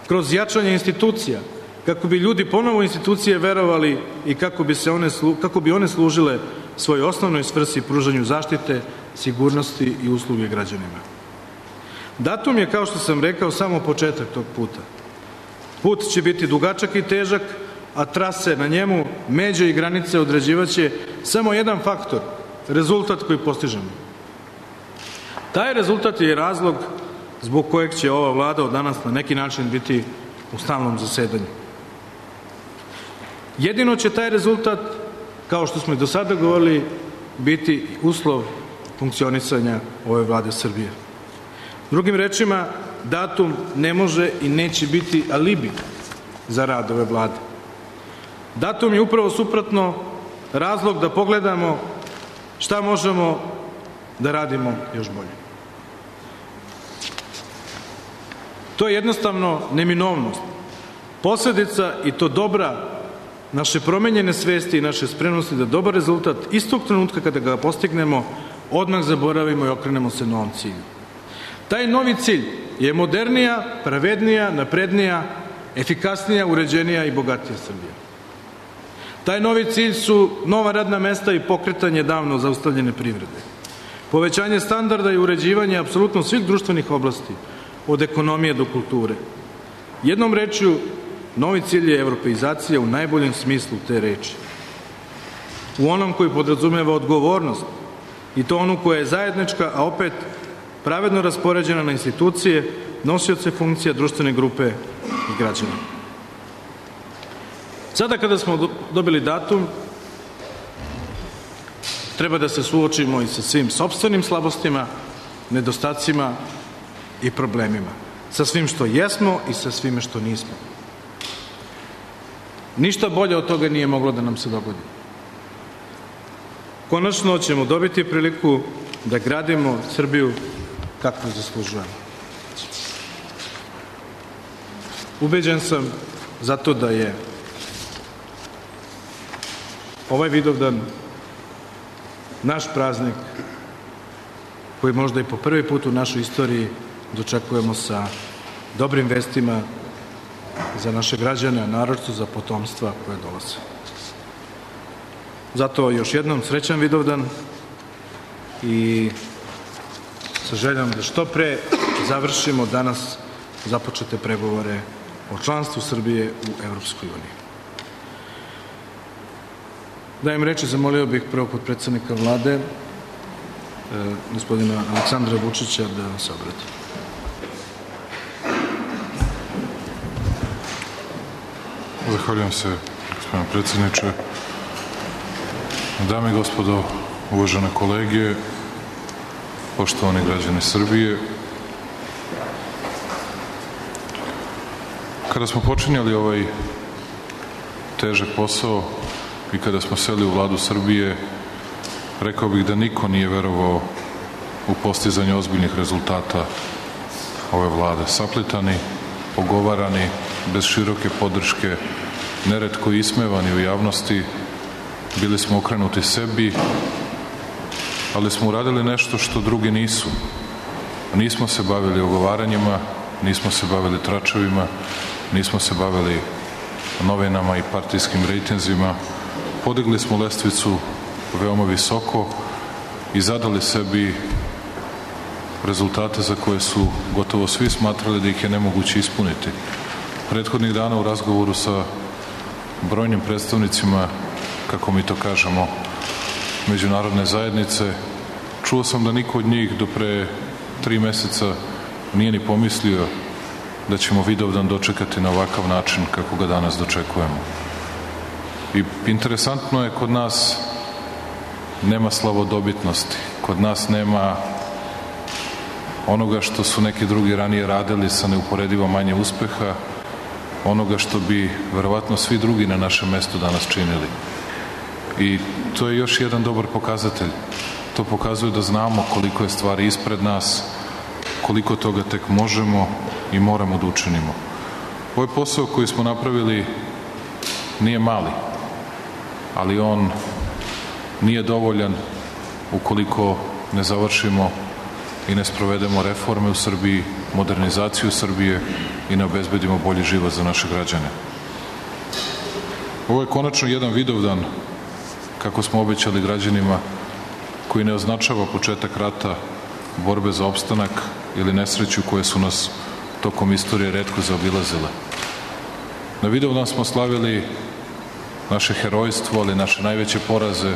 Kroz jačanje institucija, kako bi ljudi ponovo institucije verovali i kako bi one služile svojoj osnovnoj svrsi pružanju zaštite, sigurnosti i usluge građanima. Datum je, kao što sam rekao, samo početak tog puta. Put će biti dugačak i težak, a trase na njemu, međe i granice određivaće samo jedan faktor, rezultat koji postižemo. Taj rezultat je razlog zbog kojeg će ova vlada od danas na neki način biti u stalnom zasedanju. Jedino će taj rezultat, kao što smo i do sada govorili, biti uslov funkcionisanja ove vlade Srbije. Drugim rečima, datum ne može i neće biti alibi za rad ove vlade. Datum je upravo suprotno razlog da pogledamo šta možemo da radimo još bolje. To je jednostavno neminovnost. Posledica i to dobra naše promenjene svesti i naše spremnosti da dobar rezultat istog trenutka kada ga postignemo odmah zaboravimo i okrenemo se novom cilju. Taj novi cilj je modernija, pravednija, naprednija, efikasnija, uređenija i bogatija Srbija. Taj novi cilj su nova radna mesta i pokretanje davno zaustavljene privrede. Povećanje standarda i uređivanje apsolutno svih društvenih oblasti, od ekonomije do kulture. Jednom rečju, novi cilj je evropeizacija u najboljem smislu te reči. U onom koji podrazumeva odgovornost i to onu koja je zajednička, a opet pravedno raspoređena na institucije, nosioce funkcija, društvene grupe i građana. Sada kada smo dobili datum, treba da se suočimo i sa svim sopstvenim slabostima, nedostacima i problemima. Sa svim što jesmo i sa svime što nismo. Ništa bolje od toga nije moglo da nam se dogodi. Konačno ćemo dobiti priliku da gradimo Srbiju kakvu zaslužujemo. Ubeđen sam zato da je ovaj Vidovdan naš praznik koji možda i po prvi put u našoj istoriji dočekujemo sa dobrim vestima za naše građane, a naročito za potomstva koje dolaze. Zato još jednom srećan Vidovdan i sa željom da što pre završimo danas započete pregovore o članstvu Srbije u Evropskoj uniji. Dajem reči, zamolio bih prvog potpredsednika vlade, gospodina Aleksandra Vučića, da se obrati. Zahvaljujem se, gospodine predsjedniče. Dame i gospodo, uvažene kolege, poštovani građani Srbije, kada smo počinjali ovaj težak posao i kada smo seli u vladu Srbije, rekao bih da niko nije verovao u postizanje ozbiljnih rezultata ove vlade. Saplitani, ogovarani, bez široke podrške, neretko ismevani u javnosti, bili smo okrenuti sebi, ali smo uradili nešto što drugi nisu. Nismo se bavili ogovaranjima, nismo se bavili tračevima, nismo se bavili novinama i partijskim rejtinzima. Podigli smo lestvicu veoma visoko i zadali sebi rezultate za koje su gotovo svi smatrali da ih je nemoguće ispuniti. Prethodnih dana u razgovoru sa brojnim predstavnicima, kako mi to kažemo, međunarodne zajednice, čuo sam da niko od njih do pre 3 meseca nije ni pomislio da ćemo Vidovdan dočekati na ovakav način kako ga danas dočekujemo. I interesantno je, kod nas nema slavodobitnosti, kod nas nema onoga što su neki drugi ranije radili sa neuporedivo manje uspeha, onoga što bi verovatno svi drugi na našem mestu danas činili. I to je još jedan dobar pokazatelj. To pokazuje da znamo koliko je stvari ispred nas, koliko toga tek možemo i moramo da učinimo. Ovaj posao koji smo napravili nije mali, ali on nije dovoljan ukoliko ne završimo i ne sprovedemo reforme u Srbiji, modernizaciju Srbije i ne obezbedimo bolji život za naše građane. Ovo je konačno jedan Vidovdan, kako smo obećali građanima, koji ne označava početak rata, borbe za opstanak ili nesreću koje su nas tokom istorije retko zaobilazile. Na Vidovdan smo slavili naše herojstvo, ali naše najveće poraze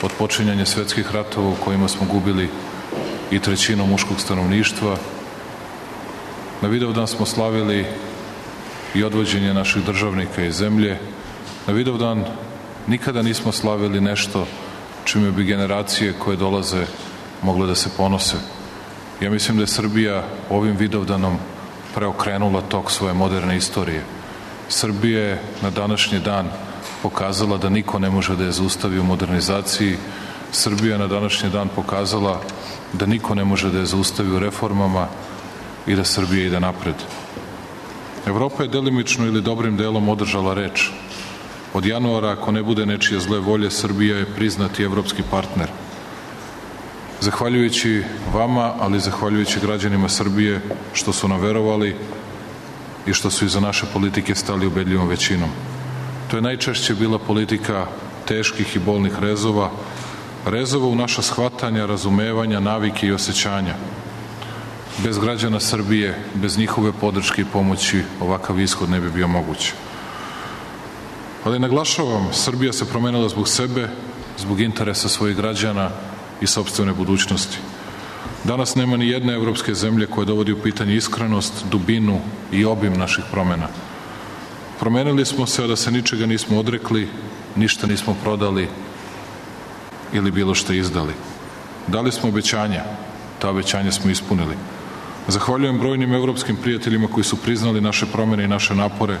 od počinjanja svetskih ratova u kojima smo gubili i 1/3 muškog stanovništva. Na Vidovdan smo slavili i odvođenje naših državnika iz zemlje. Na Vidovdan nikada nismo slavili nešto čime bi generacije koje dolaze mogle da se ponose. Ja mislim da je Srbija ovim Vidovdanom preokrenula tok svoje moderne istorije. Srbija je na današnji dan pokazala da niko ne može da je zaustavi u modernizaciji. Srbija je na današnji dan pokazala da niko ne može da je zaustavi u reformama i da Srbija ide napred. Evropa je delimično ili dobrim delom održala reč. Od januara, ako ne bude nečije zle volje, Srbija je priznati evropski partner. Zahvaljujući vama, ali zahvaljujući građanima Srbije što su nam verovali i što su iza naše politike stali ubedljivom većinom. To je najčešće bila politika teških i bolnih rezova u naša shvatanja, razumevanja, navike i osjećanja. Bez građana Srbije, bez njihove podrške i pomoći, ovakav ishod ne bi bio moguć. Ali naglašavam, Srbija se promenila zbog sebe, zbog interesa svojih građana i sopstvene budućnosti. Danas nema ni jedne evropske zemlje koja dovodi u pitanje iskrenost, dubinu i obim naših promena. Promenili smo se, a da se ničega nismo odrekli, ništa nismo prodali ili bilo što izdali. Dali smo obećanja, ta obećanja smo ispunili. Zahvaljujem brojnim evropskim prijateljima koji su priznali naše promene i naše napore,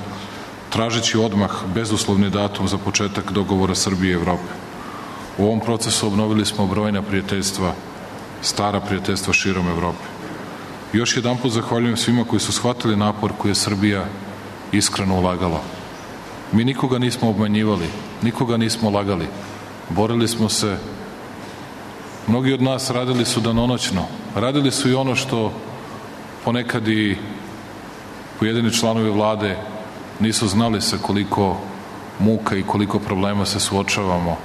tražeći odmah bezuslovni datum za početak dogovora Srbije i Evrope. U ovom procesu obnovili smo brojna prijateljstva, stara prijateljstva širom Evrope. Još jedanput zahvaljujem svima koji su shvatili napor koji je Srbija iskreno ulagala. Mi nikoga nismo obmanjivali, nikoga nismo lagali. Borili smo se, mnogi od nas radili su danonoćno, radili su i ono što ponekad i pojedini članovi vlade nisu znali sa koliko muka i koliko problema se suočavamo,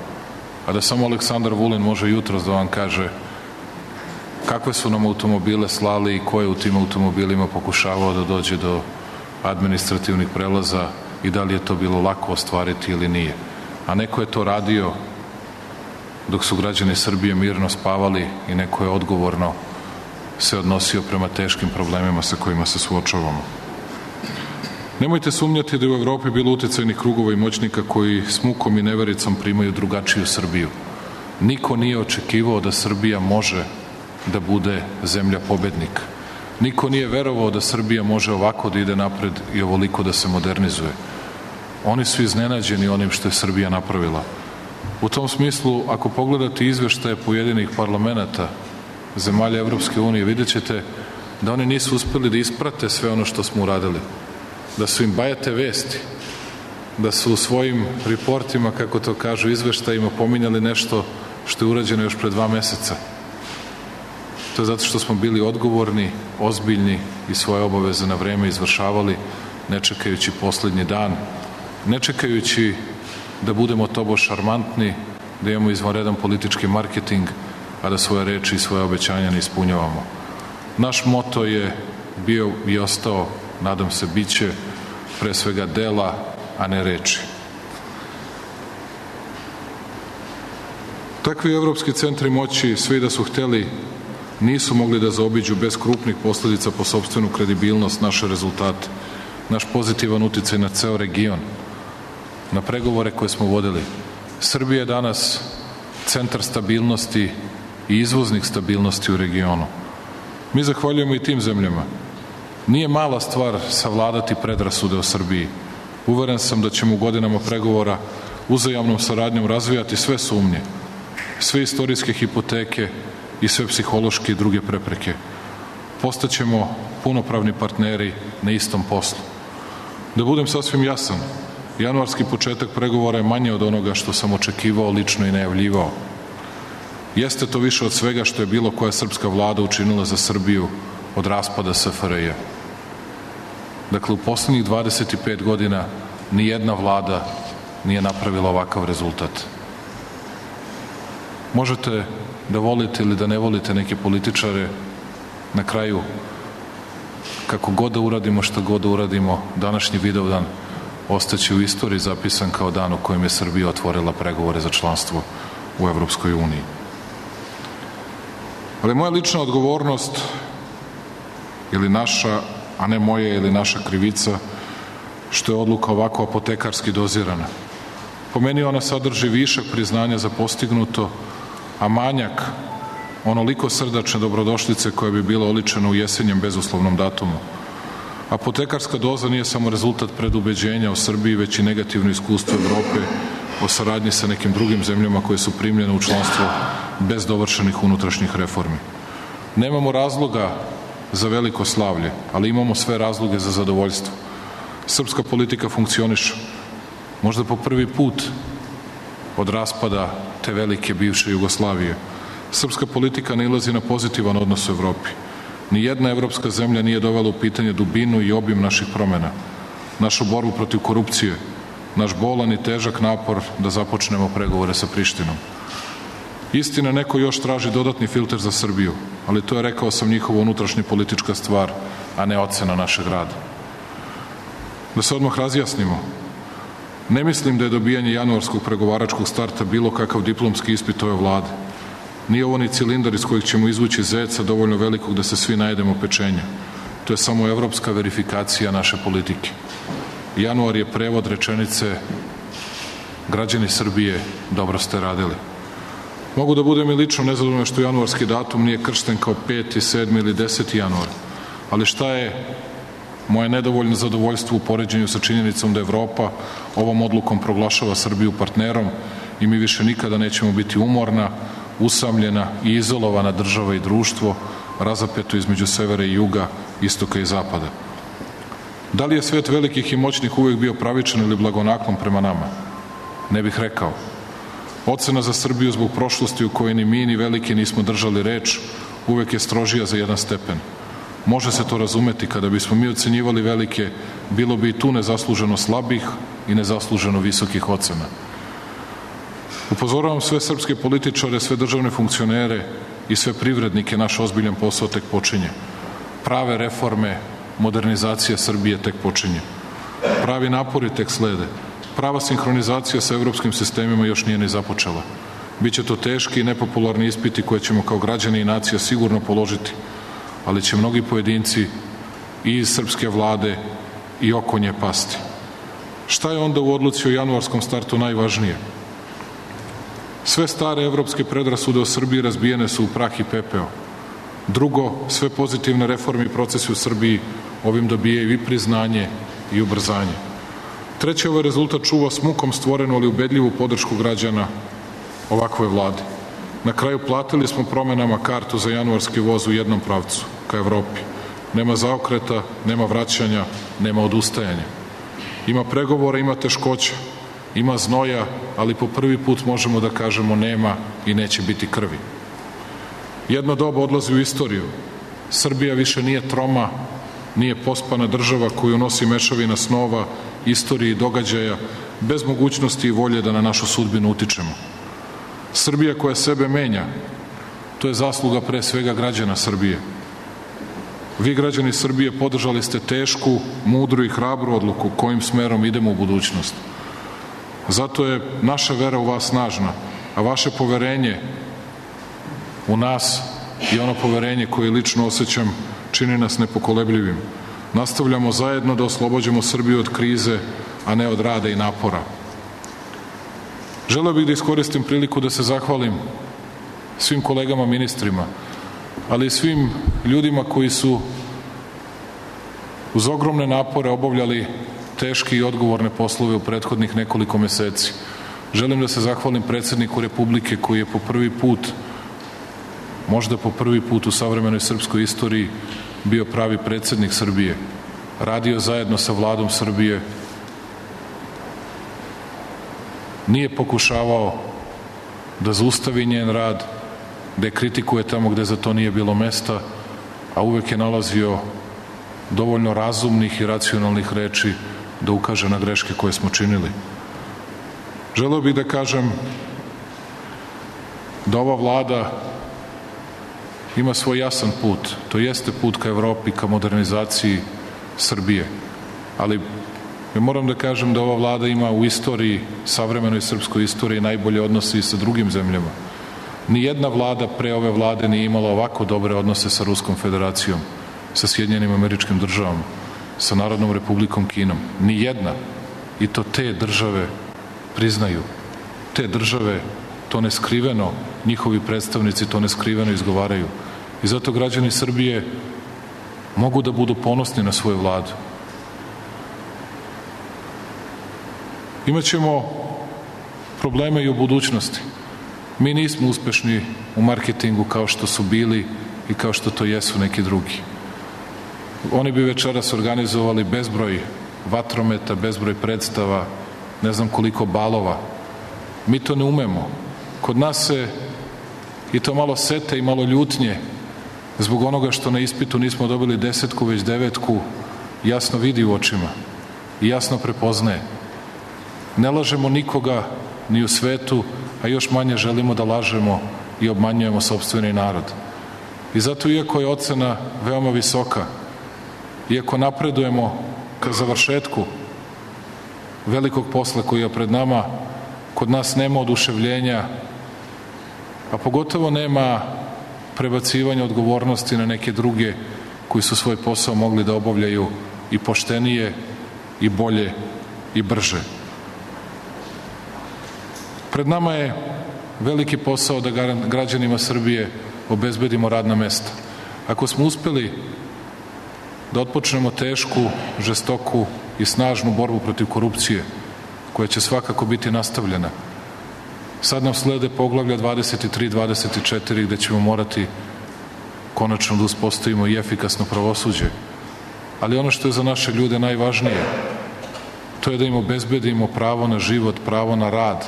a da samo Aleksandar Vulin može jutros da vam kaže kakve su nam automobile slali i ko je u tim automobilima pokušavao da dođe do administrativnih prelaza i da li je to bilo lako ostvariti ili nije. A neko je to radio dok su građani Srbije mirno spavali i neko je odgovorno se odnosio prema teškim problemima sa kojima se suočavamo. Nemojte sumnjati da je u Evropi bilo uticajnih krugova i moćnika koji s mukom i nevericom primaju drugačiju Srbiju. Niko nije očekivao da Srbija može da bude zemlja pobednik. Niko nije verovao da Srbija može ovako da ide napred i ovoliko da se modernizuje. Oni su iznenađeni onim što je Srbija napravila. U tom smislu, ako pogledate izveštaje pojedinih parlamenata zemalja Evropske unije, vidjet ćete da oni nisu uspeli da isprate sve ono što smo uradili. Da su im bajate vesti, da su u svojim reportima, kako to kažu, izveštajima pominjali nešto što je urađeno još pre 2 meseca. To je zato što smo bili odgovorni, ozbiljni i svoje obaveze na vreme izvršavali, ne čekajući poslednji dan, ne čekajući da budemo tobož šarmantni, da imamo izvanredan politički marketing, a da svoje reči i svoje obećanja ne ispunjavamo. Naš moto je bio i ostao, nadam se biće, pre svega dela, a ne reči. Takvi evropski centri moći, svi da su hteli, nisu mogli da zaobiđu bez krupnih posledica po sopstvenu kredibilnost naše rezultate, naš pozitivan uticaj na ceo region, na pregovore koje smo vodili. Srbija je danas centar stabilnosti i izvoznik stabilnosti u regionu. Mi zahvaljujemo i tim zemljama. Nije mala stvar savladati predrasude o Srbiji. Uveren sam da ćemo u godinama pregovora uzajamnom saradnjom razvijati sve sumnje, sve istorijske hipoteke i sve psihološke i druge prepreke. Postaćemo punopravni partneri na istom poslu. Da budem sasvim jasan, januarski početak pregovora je manje od onoga što sam očekivao lično i najavljivao. Jeste to više od svega što je bilo koja srpska vlada učinila za Srbiju od raspada SFRJ. Dakle, u poslednjih 25 godina ni jedna vlada nije napravila ovakav rezultat. Možete da volite ili da ne volite neke političare, na kraju, kako god da uradimo, šta god da uradimo, današnji Vidovdan ostaće u istoriji zapisan kao dan u kojem je Srbija otvorila pregovore za članstvo u Evropskoj uniji. Ali moja lična odgovornost ili naša, a ne moja ili naša krivica, što je odluka ovako apotekarski dozirana. Po meni ona sadrži višak priznanja za postignuto, a manjak onoliko srdačne dobrodošlice koja bi bila oličena u jesenjem bezuslovnom datumu. Apotekarska doza nije samo rezultat predubeđenja o Srbiji, već i negativno iskustvo Evrope o saradnji sa nekim drugim zemljama koje su primljene u članstvo bez dovršenih unutrašnjih reformi. Nemamo razloga za veliko slavlje, ali imamo sve razloge za zadovoljstvo. Srpska politika funkcioniše. Možda po prvi put od raspada te velike bivše Jugoslavije. Srpska politika nailazi na pozitivan odnos u Evropi. Nijedna evropska zemlja nije dovela u pitanje dubinu i obim naših promena, našu borbu protiv korupcije, naš bolan i težak napor da započnemo pregovore sa Prištinom. Istina, neko još traži dodatni filter za Srbiju, ali to je, rekao sam, njihova unutrašnja politička stvar, a ne ocena našeg rada. Da se odmah razjasnimo, ne mislim da je dobijanje januarskog pregovaračkog starta bilo kakav diplomski ispit ove vlade. Nije ovo ni cilindar iz kojeg ćemo izvući zeca dovoljno velikog da se svi najedemo pečenja. To je samo evropska verifikacija naše politike. Januar je prevod rečenice građani Srbije, dobro ste radili. Mogu da budem i lično nezadovoljan što januarski datum nije kršten kao 5., 7. ili 10. januar, ali šta je moje nedovoljno zadovoljstvo u poređenju sa činjenicom da Evropa ovom odlukom proglašava Srbiju partnerom i mi više nikada nećemo biti umorna, usamljena i izolovana država i društvo, razapeto između severa i juga, istoka i zapada. Da li je svet velikih i moćnih uvek bio pravičan ili blagonaklon prema nama? Ne bih rekao. Ocena za Srbiju zbog prošlosti u kojoj ni mi ni veliki nismo držali reč uvek je strožija za jedan stepen. Može se to razumeti, kada bismo mi ocenjivali velike, bilo bi i tu nezasluženo slabih i nezasluženo visokih ocena. Upozoravam sve srpske političare, sve državne funkcionere i sve privrednike, naš ozbiljan posao tek počinje. Prave reforme, modernizacija Srbije tek počinje. Pravi napori tek slede. Prava sinhronizacija sa evropskim sistemima još nije ni započela. Biće to teški i nepopularni ispiti koje ćemo kao građani i nacija sigurno položiti, ali će mnogi pojedinci i iz srpske vlade i oko nje pasti. Šta je onda u odluci o januarskom startu najvažnije? Sve stare evropske predrasude o Srbiji razbijene su u prah i pepeo. Drugo, sve pozitivne reforme i procesi u Srbiji ovim dobijaju i priznanje i ubrzanje. Treće, ovaj rezultat čuva s mukom stvorenu, ali ubedljivu podršku građana ovakvoj vladi. Na kraju platili smo promenama kartu za januarski voz u jednom pravcu, ka Evropi. Nema zaokreta, nema vraćanja, nema odustajanja. Ima pregovora, ima teškoća, ima znoja, ali po prvi put možemo da kažemo nema i neće biti krvi. Jedno doba odlazi u istoriju. Srbija više nije troma, nije pospana država koju nosi mešavina snova, istorije i događaja, bez mogućnosti i volje da na našu sudbinu utičemo. Srbija koja sebe menja, to je zasluga pre svega građana Srbije. Vi, građani Srbije, podržali ste tešku, mudru i hrabru odluku kojim smerom idemo u budućnost. Zato je naša vera u vas snažna, a vaše poverenje u nas i ono poverenje koje lično osjećam čini nas nepokolebljivim. Nastavljamo zajedno da oslobođemo Srbiju od krize, a ne od rada i napora. Želeo bih da iskoristim priliku da se zahvalim svim kolegama ministrima, ali i svim ljudima koji su uz ogromne napore obavljali teške i odgovorne poslove u prethodnih nekoliko meseci. Želim da se zahvalim predsedniku Republike koji je po prvi put, možda po prvi put u savremenoj srpskoj istoriji, bio pravi predsednik Srbije. Radio zajedno sa Vladom Srbije. Nije pokušavao da zaustavi njen rad, da je kritikuje tamo gde za to nije bilo mesta, a uvek je nalazio dovoljno razumnih i racionalnih reči da ukaže na greške koje smo činili. Želeo bih da kažem da ova vlada ima svoj jasan put. To jeste put ka Evropi, ka modernizaciji Srbije. Ali moram da kažem da ova vlada ima u istoriji, savremenoj srpskoj istoriji, najbolje odnose i sa drugim zemljama. Nijedna vlada pre ove vlade nije imala ovako dobre odnose sa Ruskom federacijom, sa Sjedinjenim Američkim Državama, sa Narodnom Republikom Kinom. Nijedna. I to te države priznaju. Te države to neskriveno, njihovi predstavnici to neskriveno izgovaraju. I zato građani Srbije mogu da budu ponosni na svoju vladu. Imaćemo probleme i u budućnosti. Mi nismo uspešni u marketingu kao što su bili i kao što to jesu neki drugi. Oni bi večeras organizovali bezbroj vatrometa, bezbroj predstava, ne znam koliko balova. Mi to ne umemo. Kod nas se i to malo sete i malo ljutnje zbog onoga što na ispitu nismo dobili 10, već 9, jasno vidi u očima i jasno prepoznaje. Ne lažemo nikoga ni u svetu, a još manje želimo da lažemo i obmanjujemo sopstveni narod. I zato, iako je ocena veoma visoka, iako napredujemo ka završetku velikog posla koji je pred nama, kod nas nema oduševljenja, a pogotovo nema prebacivanja odgovornosti na neke druge koji su svoj posao mogli da obavljaju i poštenije, i bolje, i brže. Pred nama je veliki posao da građanima Srbije obezbedimo radna mesta. Ako smo uspeli da otpočnemo tešku, žestoku i snažnu borbu protiv korupcije, koja će svakako biti nastavljena, sad nam slede poglavlja 23, 24, gde ćemo morati konačno da uspostavimo i efikasno pravosuđe. Ali ono što je za naše ljude najvažnije, to je da im obezbedimo pravo na život, pravo na rad,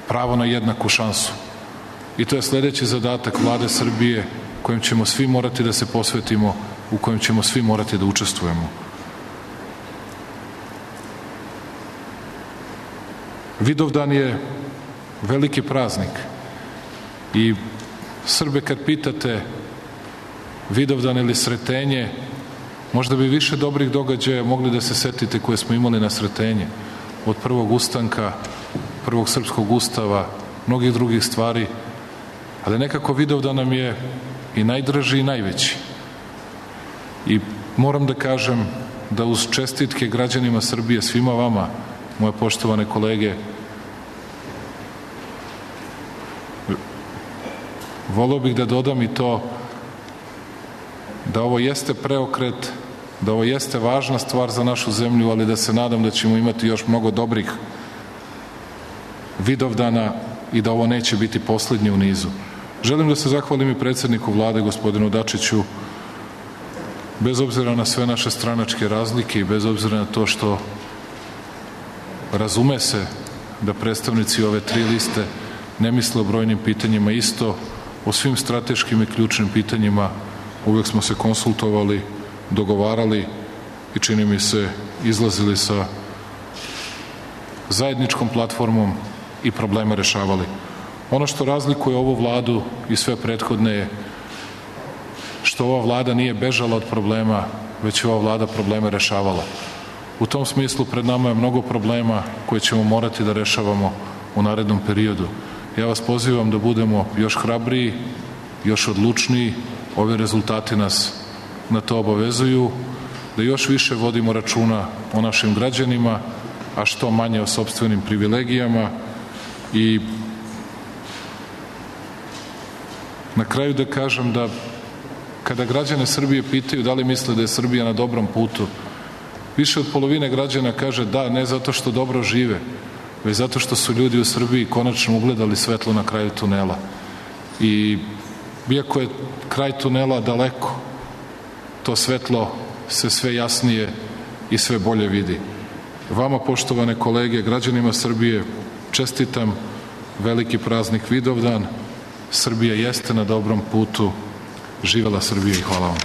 pravo na jednaku šansu. I to je sledeći zadatak Vlade Srbije kojem ćemo svi morati da se posvetimo, u kojem ćemo svi morati da učestvujemo. Vidovdan je veliki praznik i Srbe kad pitate Vidovdan ili Sretenje, možda bi više dobrih događaja mogli da se setite koje smo imali na Sretenje, od prvog ustanka, prvog srpskog ustava, mnogih drugih stvari, ali nekako Vidovdan nam je i najdraži i najveći. I moram da kažem da uz čestitke građanima Srbije, svima vama, moje poštovane kolege, voleo bih da dodam i to da ovo jeste preokret, da ovo jeste važna stvar za našu zemlju, ali da se nadam da ćemo imati još mnogo dobrih Vidovdana i da ovo neće biti poslednji u nizu. Želim da se zahvalim i predsedniku Vlade, gospodinu Dačiću, bez obzira na sve naše stranačke razlike i bez obzira na to što razume se da predstavnici ove 3 liste ne misle o brojnim pitanjima isto, o svim strateškim i ključnim pitanjima uvek smo se konsultovali, dogovarali i čini mi se izlazili sa zajedničkom platformom i probleme rešavali. Ono što razlikuje ovu vladu i sve prethodne je što ova vlada nije bežala od problema, već je ova vlada probleme rešavala. U tom smislu pred nama je mnogo problema koje ćemo morati da rešavamo u narednom periodu. Ja vas pozivam da budemo još hrabriji, još odlučniji, ovi rezultati nas na to obavezuju, da još više vodimo računa o našim građanima, a što manje o sopstvenim privilegijama i na kraju da kažem da kada građane Srbije pitaju da li misle da je Srbija na dobrom putu, više od polovine građana kaže da, ne zato što dobro žive, već zato što su ljudi u Srbiji konačno ugledali svetlo na kraju tunela. I iako je kraj tunela daleko, to svetlo se sve jasnije i sve bolje vidi. Vama, poštovane kolege, građanima Srbije, čestitam veliki praznik Vidovdan. Srbija jeste na dobrom putu. Živela Srbija i hvala vam.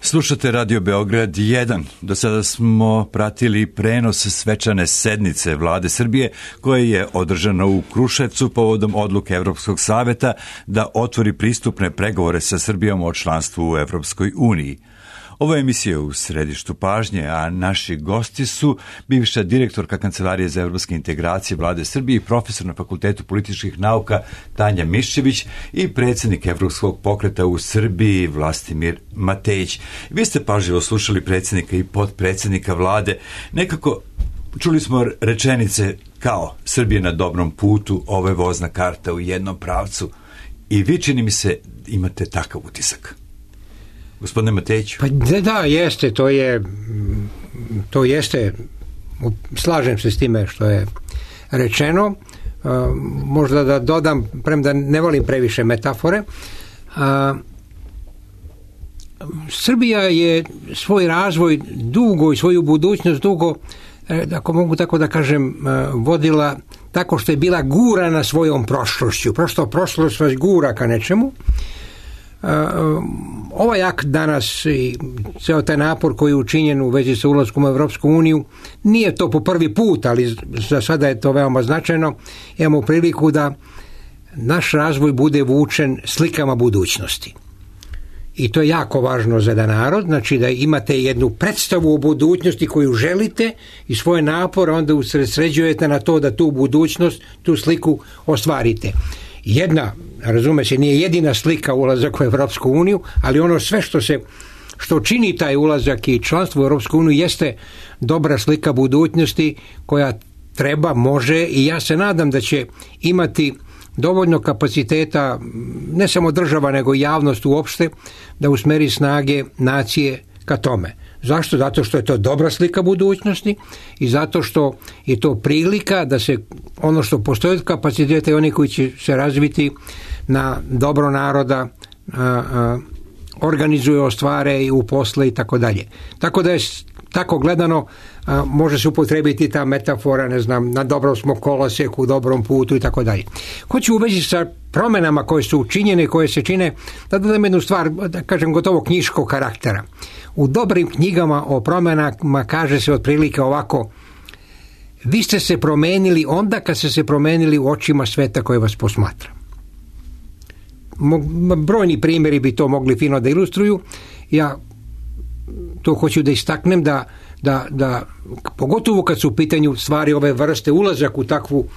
Slušate Radio Beograd 1. Do sada smo pratili prenos svečane sednice Vlade Srbije koja je održana u Kruševcu povodom odluke Evropskog saveta da otvori pristupne pregovore sa Srbijom o članstvu u Evropskoj uniji. Ovo je emisija u središtu pažnje, a naši gosti su bivša direktorka Kancelarije za evropske integracije Vlade Srbije i profesor na Fakultetu političkih nauka Tanja Miščević i predsjednik Evropskog pokreta u Srbiji Vlastimir Matejić. Vi ste pažljivo slušali predsjednika i potpredsjednika Vlade. Nekako Čuli smo rečenice kao Srbija na dobrom putu, ovo je vozna karta u jednom pravcu i vi, čini mi se, imate takav utisak. Gospodine Matejiću. Pa da, jeste, to jeste, slažem se s time što je rečeno. Možda da dodam, premda ne volim previše metafore, Srbija je svoj razvoj dugo i svoju budućnost dugo, ako mogu tako da kažem, vodila tako što je bila gurana svojom prošlošću. Prošlost vas gura ka nečemu. Ovaj akt danas i ceo taj napor koji je učinjen u vezi sa ulaskom u Evropsku uniju, nije to po prvi put, ali za sada je to veoma značajno. Imamo priliku da naš razvoj bude vučen slikama budućnosti. I to je jako važno za jedan narod, znači da imate jednu predstavu o budućnosti koju želite i svoje napore onda usredsređujete na to da tu budućnost, tu sliku ostvarite. Jedna, razume se, nije jedina slika ulazak u Evropsku uniju, ali ono sve što čini taj ulazak i članstvo u Evropsku uniju jeste dobra slika budućnosti koja treba, može i ja se nadam da će imati dovoljno kapaciteta, ne samo država nego i javnost uopšte, da usmeri snage nacije ka tome. Zašto? Zato što je to dobra slika budućnosti i zato što je to prilika da se ono što postoji od kapaciteta i oni koji će se razviti na dobro naroda organizuju, ostvare i uposle i tako dalje. Tako da je tako gledano može se upotrebiti ta metafora, ne znam, na dobrom smo koloseku, dobrom putu i tako dalje. Hoću u vezi sa promenama koje su učinjene, koje se čine, da dodam jednu stvar, da kažem, gotovo knjiškog karaktera. U dobrim knjigama o promenama kaže se otprilike ovako: vi ste se promenili onda kad ste se promenili u očima sveta koje vas posmatra. Brojni primjeri bi to mogli fino da ilustruju. Ja to hoću da istaknem da pogotovo kad su u pitanju stvari ove vrste, ulazak u takvu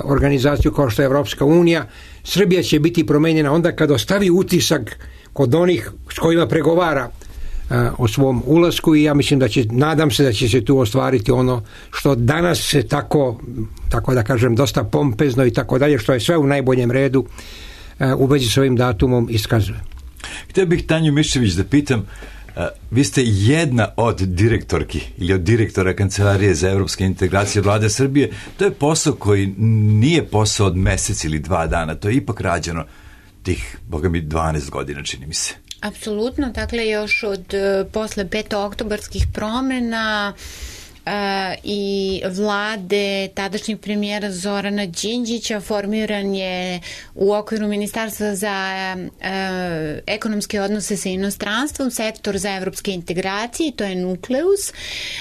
organizaciju kao što je Evropska unija, Srbija će biti promenjena onda kad ostavi utisak kod onih s kojima pregovara o svom ulasku i ja mislim nadam se da će se tu ostvariti ono što danas se tako da kažem dosta pompezno i tako dalje, što je sve u najboljem redu u vezi s ovim datumom iskazuje. Htio bih Tanju Miščević da pitam, vi ste jedna od direktorki ili od direktora Kancelarije za evropske integracije Vlade Srbije. To je posao koji nije posao od mesec ili 2 dana, to je ipak rađeno tih, boga mi, 12 godina, čini mi se. Apsolutno, dakle još od posle petooktobarskih promena i vlade tadašnjeg premijera Zorana Đinđića formiran je u okviru Ministarstva za ekonomske odnose sa inostranstvom sektor za evropske integracije, to je Nukleus,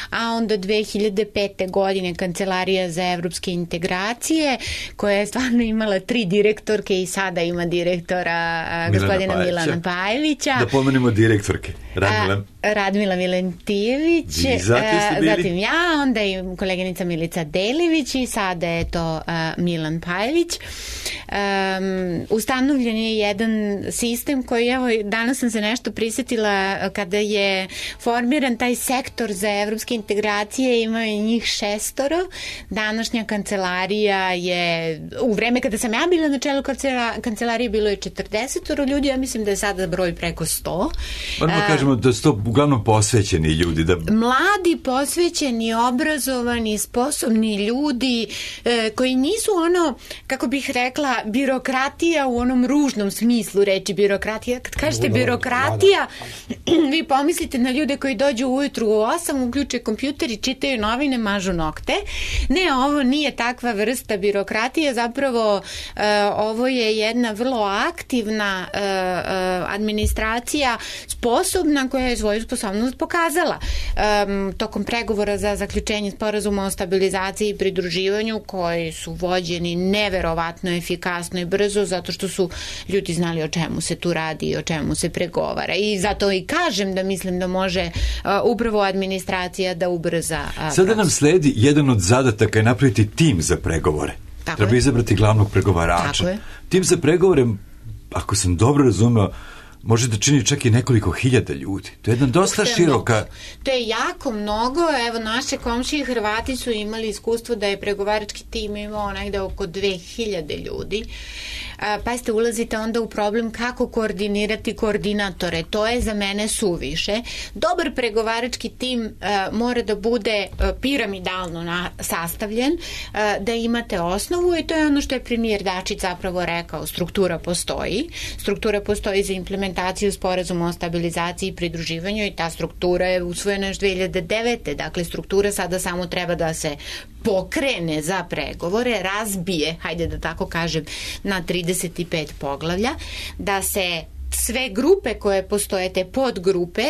a onda 2005. godine Kancelarija za evropske integracije koja je stvarno imala 3 direktorke i sada ima direktora gospodina Milana Pajlića. Da pomenemo direktorke. Radmila Milentijević, zatim ja, onda i koleginica Milica Delivić i sada je to Milan Pajlić. Ustanovljen je jedan sistem koji, evo, danas sam se nešto prisjetila kada je formiran taj sektor za evropske integracije, imaju njih 6. Današnja kancelarija je, u vreme kada sam ja bila na čelu kancelarije bilo je 40 ljudi, ja mislim da je sada broj preko 100. Moramo kažemo da su to uglavnom posvećeni ljudi. Mladi, posvećeni, obrazovani, sposobni ljudi koji nisu ono, kako bih rekla, birokratija u onom ružnom smislu reči birokratija. Kad kažete birokratija, vi pomislite na ljude koji dođu ujutru u 8, uključe kompjuter i čitaju novine, mažu nokte. Ne, ovo nije takva vrsta birokratije, zapravo ovo je jedna vrlo aktivna administracija, sposobna, koja je svoju sposobnost pokazala tokom pregovora za zaključenje sporazuma o stabilizaciji i pridruživanju, koji su vođeni neverovatno efikasno i brzo, zato što su ljudi znali o čemu se tu radi i o čemu se pregovara. I zato i kažem da mislim da može upravo administracija da ubrza Sada nam sledi jedan od zadataka je napraviti tim za pregovore. Treba izabrati glavnog pregovarača. Tim za pregovore, ako sam dobro razumeo, može da čini čak i nekoliko hiljada ljudi. To je jedna dosta široka... To je jako mnogo. Evo, naše komšije Hrvati su imali iskustvo da je pregovarački tim imao negde oko 2000 ljudi. Pa ste ulazite onda u problem kako koordinirati koordinatore. To je za mene suviše. Dobar pregovarački tim mora da bude piramidalno sastavljen, da imate osnovu i to je ono što je premijer Dačić zapravo rekao. Struktura postoji. Struktura postoji za implementaciju sporazuma o stabilizaciji i pridruživanju i ta struktura je usvojena još 2009. Dakle, struktura sada samo treba da se pokrene za pregovore, razbije, hajde da tako kažem, na 35 poglavlja, da se sve grupe koje postoje, te podgrupe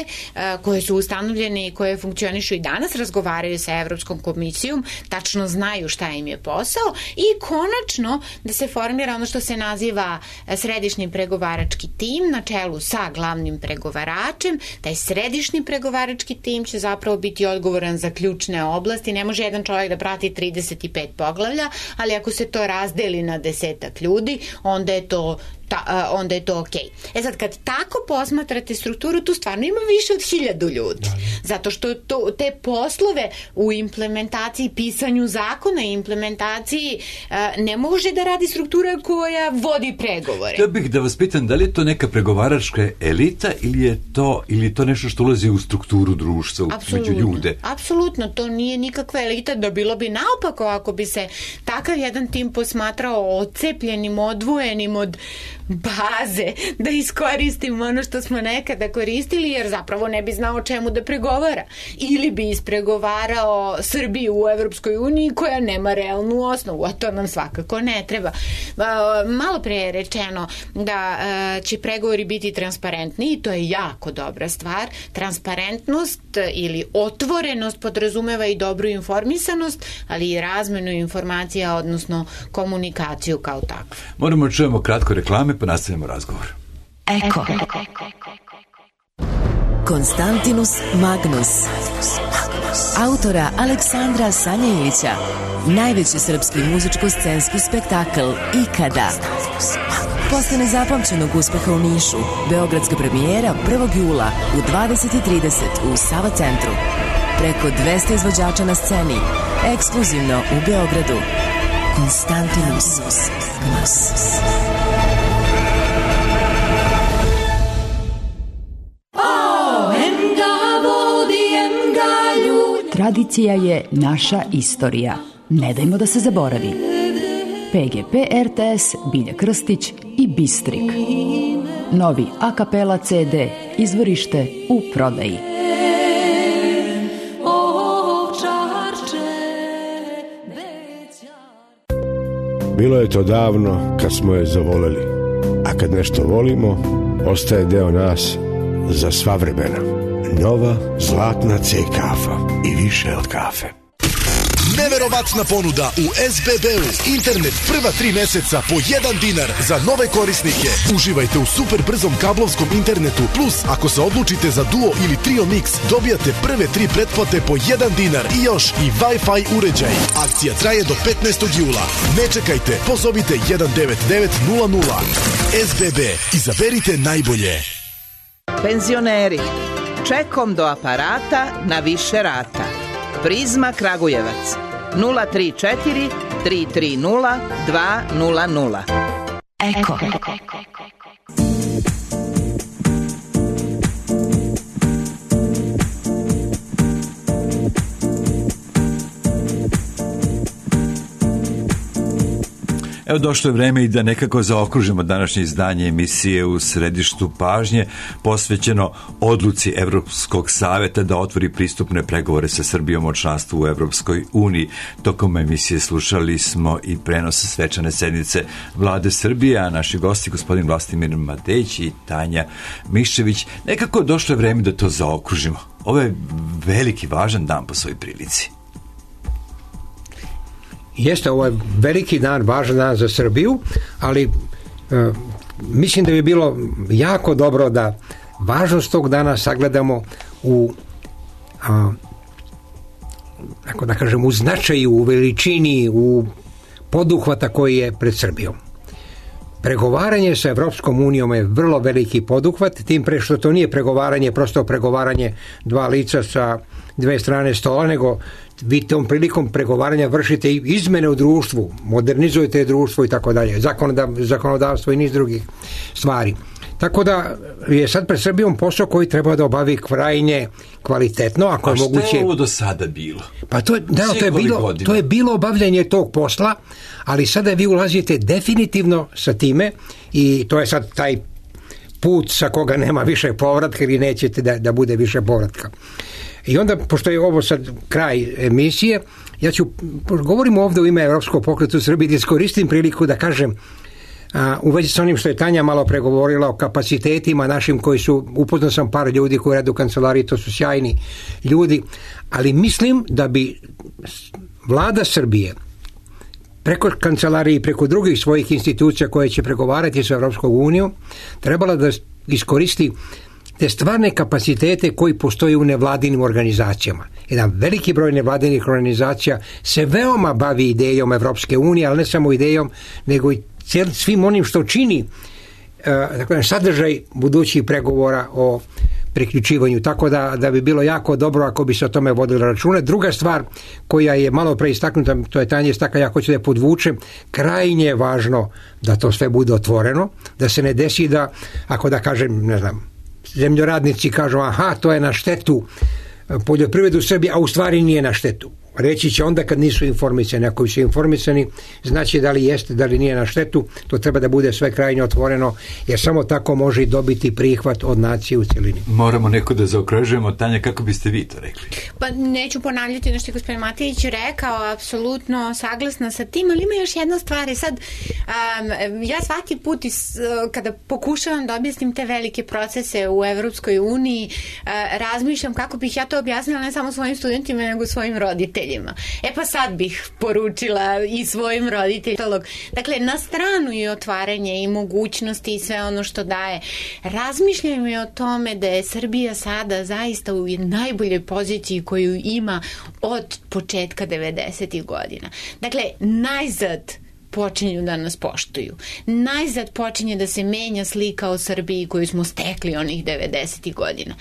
koje su ustanovljene i koje funkcionišu i danas, razgovaraju sa Evropskom komisijom, tačno znaju šta im je posao i konačno da se formira ono što se naziva središnji pregovarački tim na čelu sa glavnim pregovaračem. Taj središnji pregovarački tim će zapravo biti odgovoran za ključne oblasti. Ne može jedan čovjek da prati 35 poglavlja, ali ako se to razdeli na 10 ljudi, onda je to okej. Sad, kad tako posmatrate strukturu, tu stvarno ima više od 1000 ljudi. Zato što te poslove u implementaciji, pisanju zakona i implementaciji ne može da radi struktura koja vodi pregovore. Htio bih da vas pitam, da li je to neka pregovaračka elita ili je to nešto što ulazi u strukturu društva, među ljude? Apsolutno, to nije nikakva elita, da bilo bi naopako ako bi se takav jedan tim posmatrao odcepljenim, odvojenim od baze, da iskoristimo ono što smo nekada koristili, jer zapravo ne bi znao čemu da pregovara. Ili bi ispregovarao Srbiju u Evropskoj uniji koja nema realnu osnovu, a to nam svakako ne treba. Malo pre je rečeno da će pregovori biti transparentni i to je jako dobra stvar. Transparentnost ili otvorenost podrazumeva i dobru informisanost, ali i razmenu informacija, odnosno komunikaciju kao takvu. Moramo čujemo kratko reklame, pa nastavimo razgovor. Eko. Konstantinus Magnus. Autora Aleksandra Sanja-Ilića. Najveći srpski muzičko-scenski spektakl ikada. Posle nezapamćenog uspeha u Nišu, beogradska premijera 1. jula u 20:30 u Sava centru. Preko 200 izvođača na sceni, ekskluzivno u Beogradu. Konstantinus Magnus. Tradicija je naša istorija. Ne dajmo da se zaboravi. PGP RTS, Bilja Krstić i Bistrik. Novi a kapela CD, izvorište u prodaji. Bilo je to davno kad smo je zavoleli, a kad nešto volimo, ostaje deo nas za sva vremena. Nova zlatna C kafa i više od kafe. Neverovatna ponuda u SBB-u. Internet prva 3 meseca po 1 dinar za nove korisnike. Uživajte u super brzom kablovskom internetu, plus ako se odlučite za Duo ili Trio Mix, dobijate prve 3 pretplate po 1 dinar i još i Wi-Fi uređaj. Akcija traje do 15. jula. Ne čekajte, pozovite 19900. SBB, izaberite najbolje. Penzioneri, čekom do aparata na više rata. Prizma Kragujevac 034 330 200. Eko. Evo, došlo je vreme i da nekako zaokružimo današnje izdanje emisije u središtu pažnje, posvećeno odluci Evropskog saveta da otvori pristupne pregovore sa Srbijom o članstvu u Evropskoj uniji. Tokom emisije slušali smo i prenos svečane sednice Vlade Srbije, a naši gosti, gospodin Vlastimir Matejić i Tanja Miščević. Nekako došlo je vreme da to zaokružimo. Ovo je veliki, važan dan po svojoj prilici. Jeste, ovo je veliki dan, važan dan za Srbiju, ali mislim da bi bilo jako dobro da važnost tog dana sagledamo u tako da kažem, u značaju, u veličini, u poduhvata koji je pred Srbijom. Pregovaranje sa Evropskom unijom je vrlo veliki poduhvat, tim pre što to nije pregovaranje, prosto pregovaranje dva lica sa dve strane stola, nego vi tom prilikom pregovaranja vršite izmene u društvu, modernizujete društvo i tako dalje, zakonodavstvo i niz drugih stvari. Tako da je sad pred Srbijom posao koji treba da obavi krajnje kvalitetno, ako je moguće. A šta je ovo do sada bilo? Pa to je bilo obavljanje tog posla, ali sada vi ulazite definitivno sa time i to je sad taj put sa koga nema više povratka ili nećete da bude više povratka. I onda, pošto je ovo sad kraj emisije, ja ću, govorim ovdje u ime Evropskog pokreta u Srbiji, da iskoristim priliku da kažem u vezi sa onim što je Tanja malo pregovorila o kapacitetima našim koji su, upoznao sam par ljudi koji rade u kancelariji, to su sjajni ljudi, ali mislim da bi vlada Srbije preko kancelarije i preko drugih svojih institucija koje će pregovarati sa Evropskom unijom trebala da iskoristi te stvarne kapacitete koji postoje u nevladinim organizacijama. Jedan veliki broj nevladinih organizacija se veoma bavi idejom Evropske unije, ali ne samo idejom, nego i svim onim što čini sadržaj budućih pregovora o priključivanju, tako da bi bilo jako dobro ako bi se o tome vodilo računa. Druga stvar koja je malo pre istaknuta, to je Tanja istakla, ja hoću da je podvučem, krajnje je važno da to sve bude otvoreno, da se ne desi da, ako da kažem, ne znam, zemljoradnici kažu, aha, to je na štetu poljoprivredu u Srbiji, a u stvari nije na štetu. Reći će onda kad nisu informisani. Ako su informisani, znači da li jeste, da li nije na štetu, to treba da bude sve krajnje otvoreno, jer samo tako može i dobiti prihvat od nacije u celini. Moramo neko da zaokružujemo. Tanja, kako biste vi to rekli? Pa neću ponavljati ono što je gospodin Matejić rekao, apsolutno saglasna sa tim, ali ima još jedna stvar. Sad, ja svaki put kada pokušavam da objasnim te velike procese u Evropskoj uniji, razmišljam kako bih ja to objasnila ne samo svojim studentima, nego svojim roditeljima. Pa sad bih poručila i svojim roditeljima. Dakle, na stranu i otvaranje i mogućnosti i sve ono što daje. Razmišljam i o tome da je Srbija sada zaista u najboljoj poziciji koju ima od početka 90. godina. Dakle, najzad počinju da nas poštuju. Najzad počinje da se menja slika o Srbiji koju smo stekli onih 90. godina.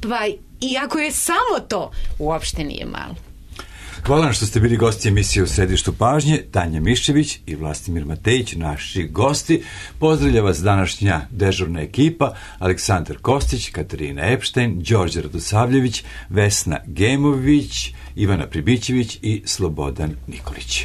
Pa, iako je samo to, uopšte nije malo. Hvala vam što ste bili gosti emisije U središtu pažnje. Tanja Miščević i Vlastimir Matejić, naši gosti. Pozdravlja vas današnja dežurna ekipa: Aleksandar Kostić, Katarina Epštajn, Đorđe Radosavljević, Vesna Gemović, Ivana Pribićević i Slobodan Nikolić.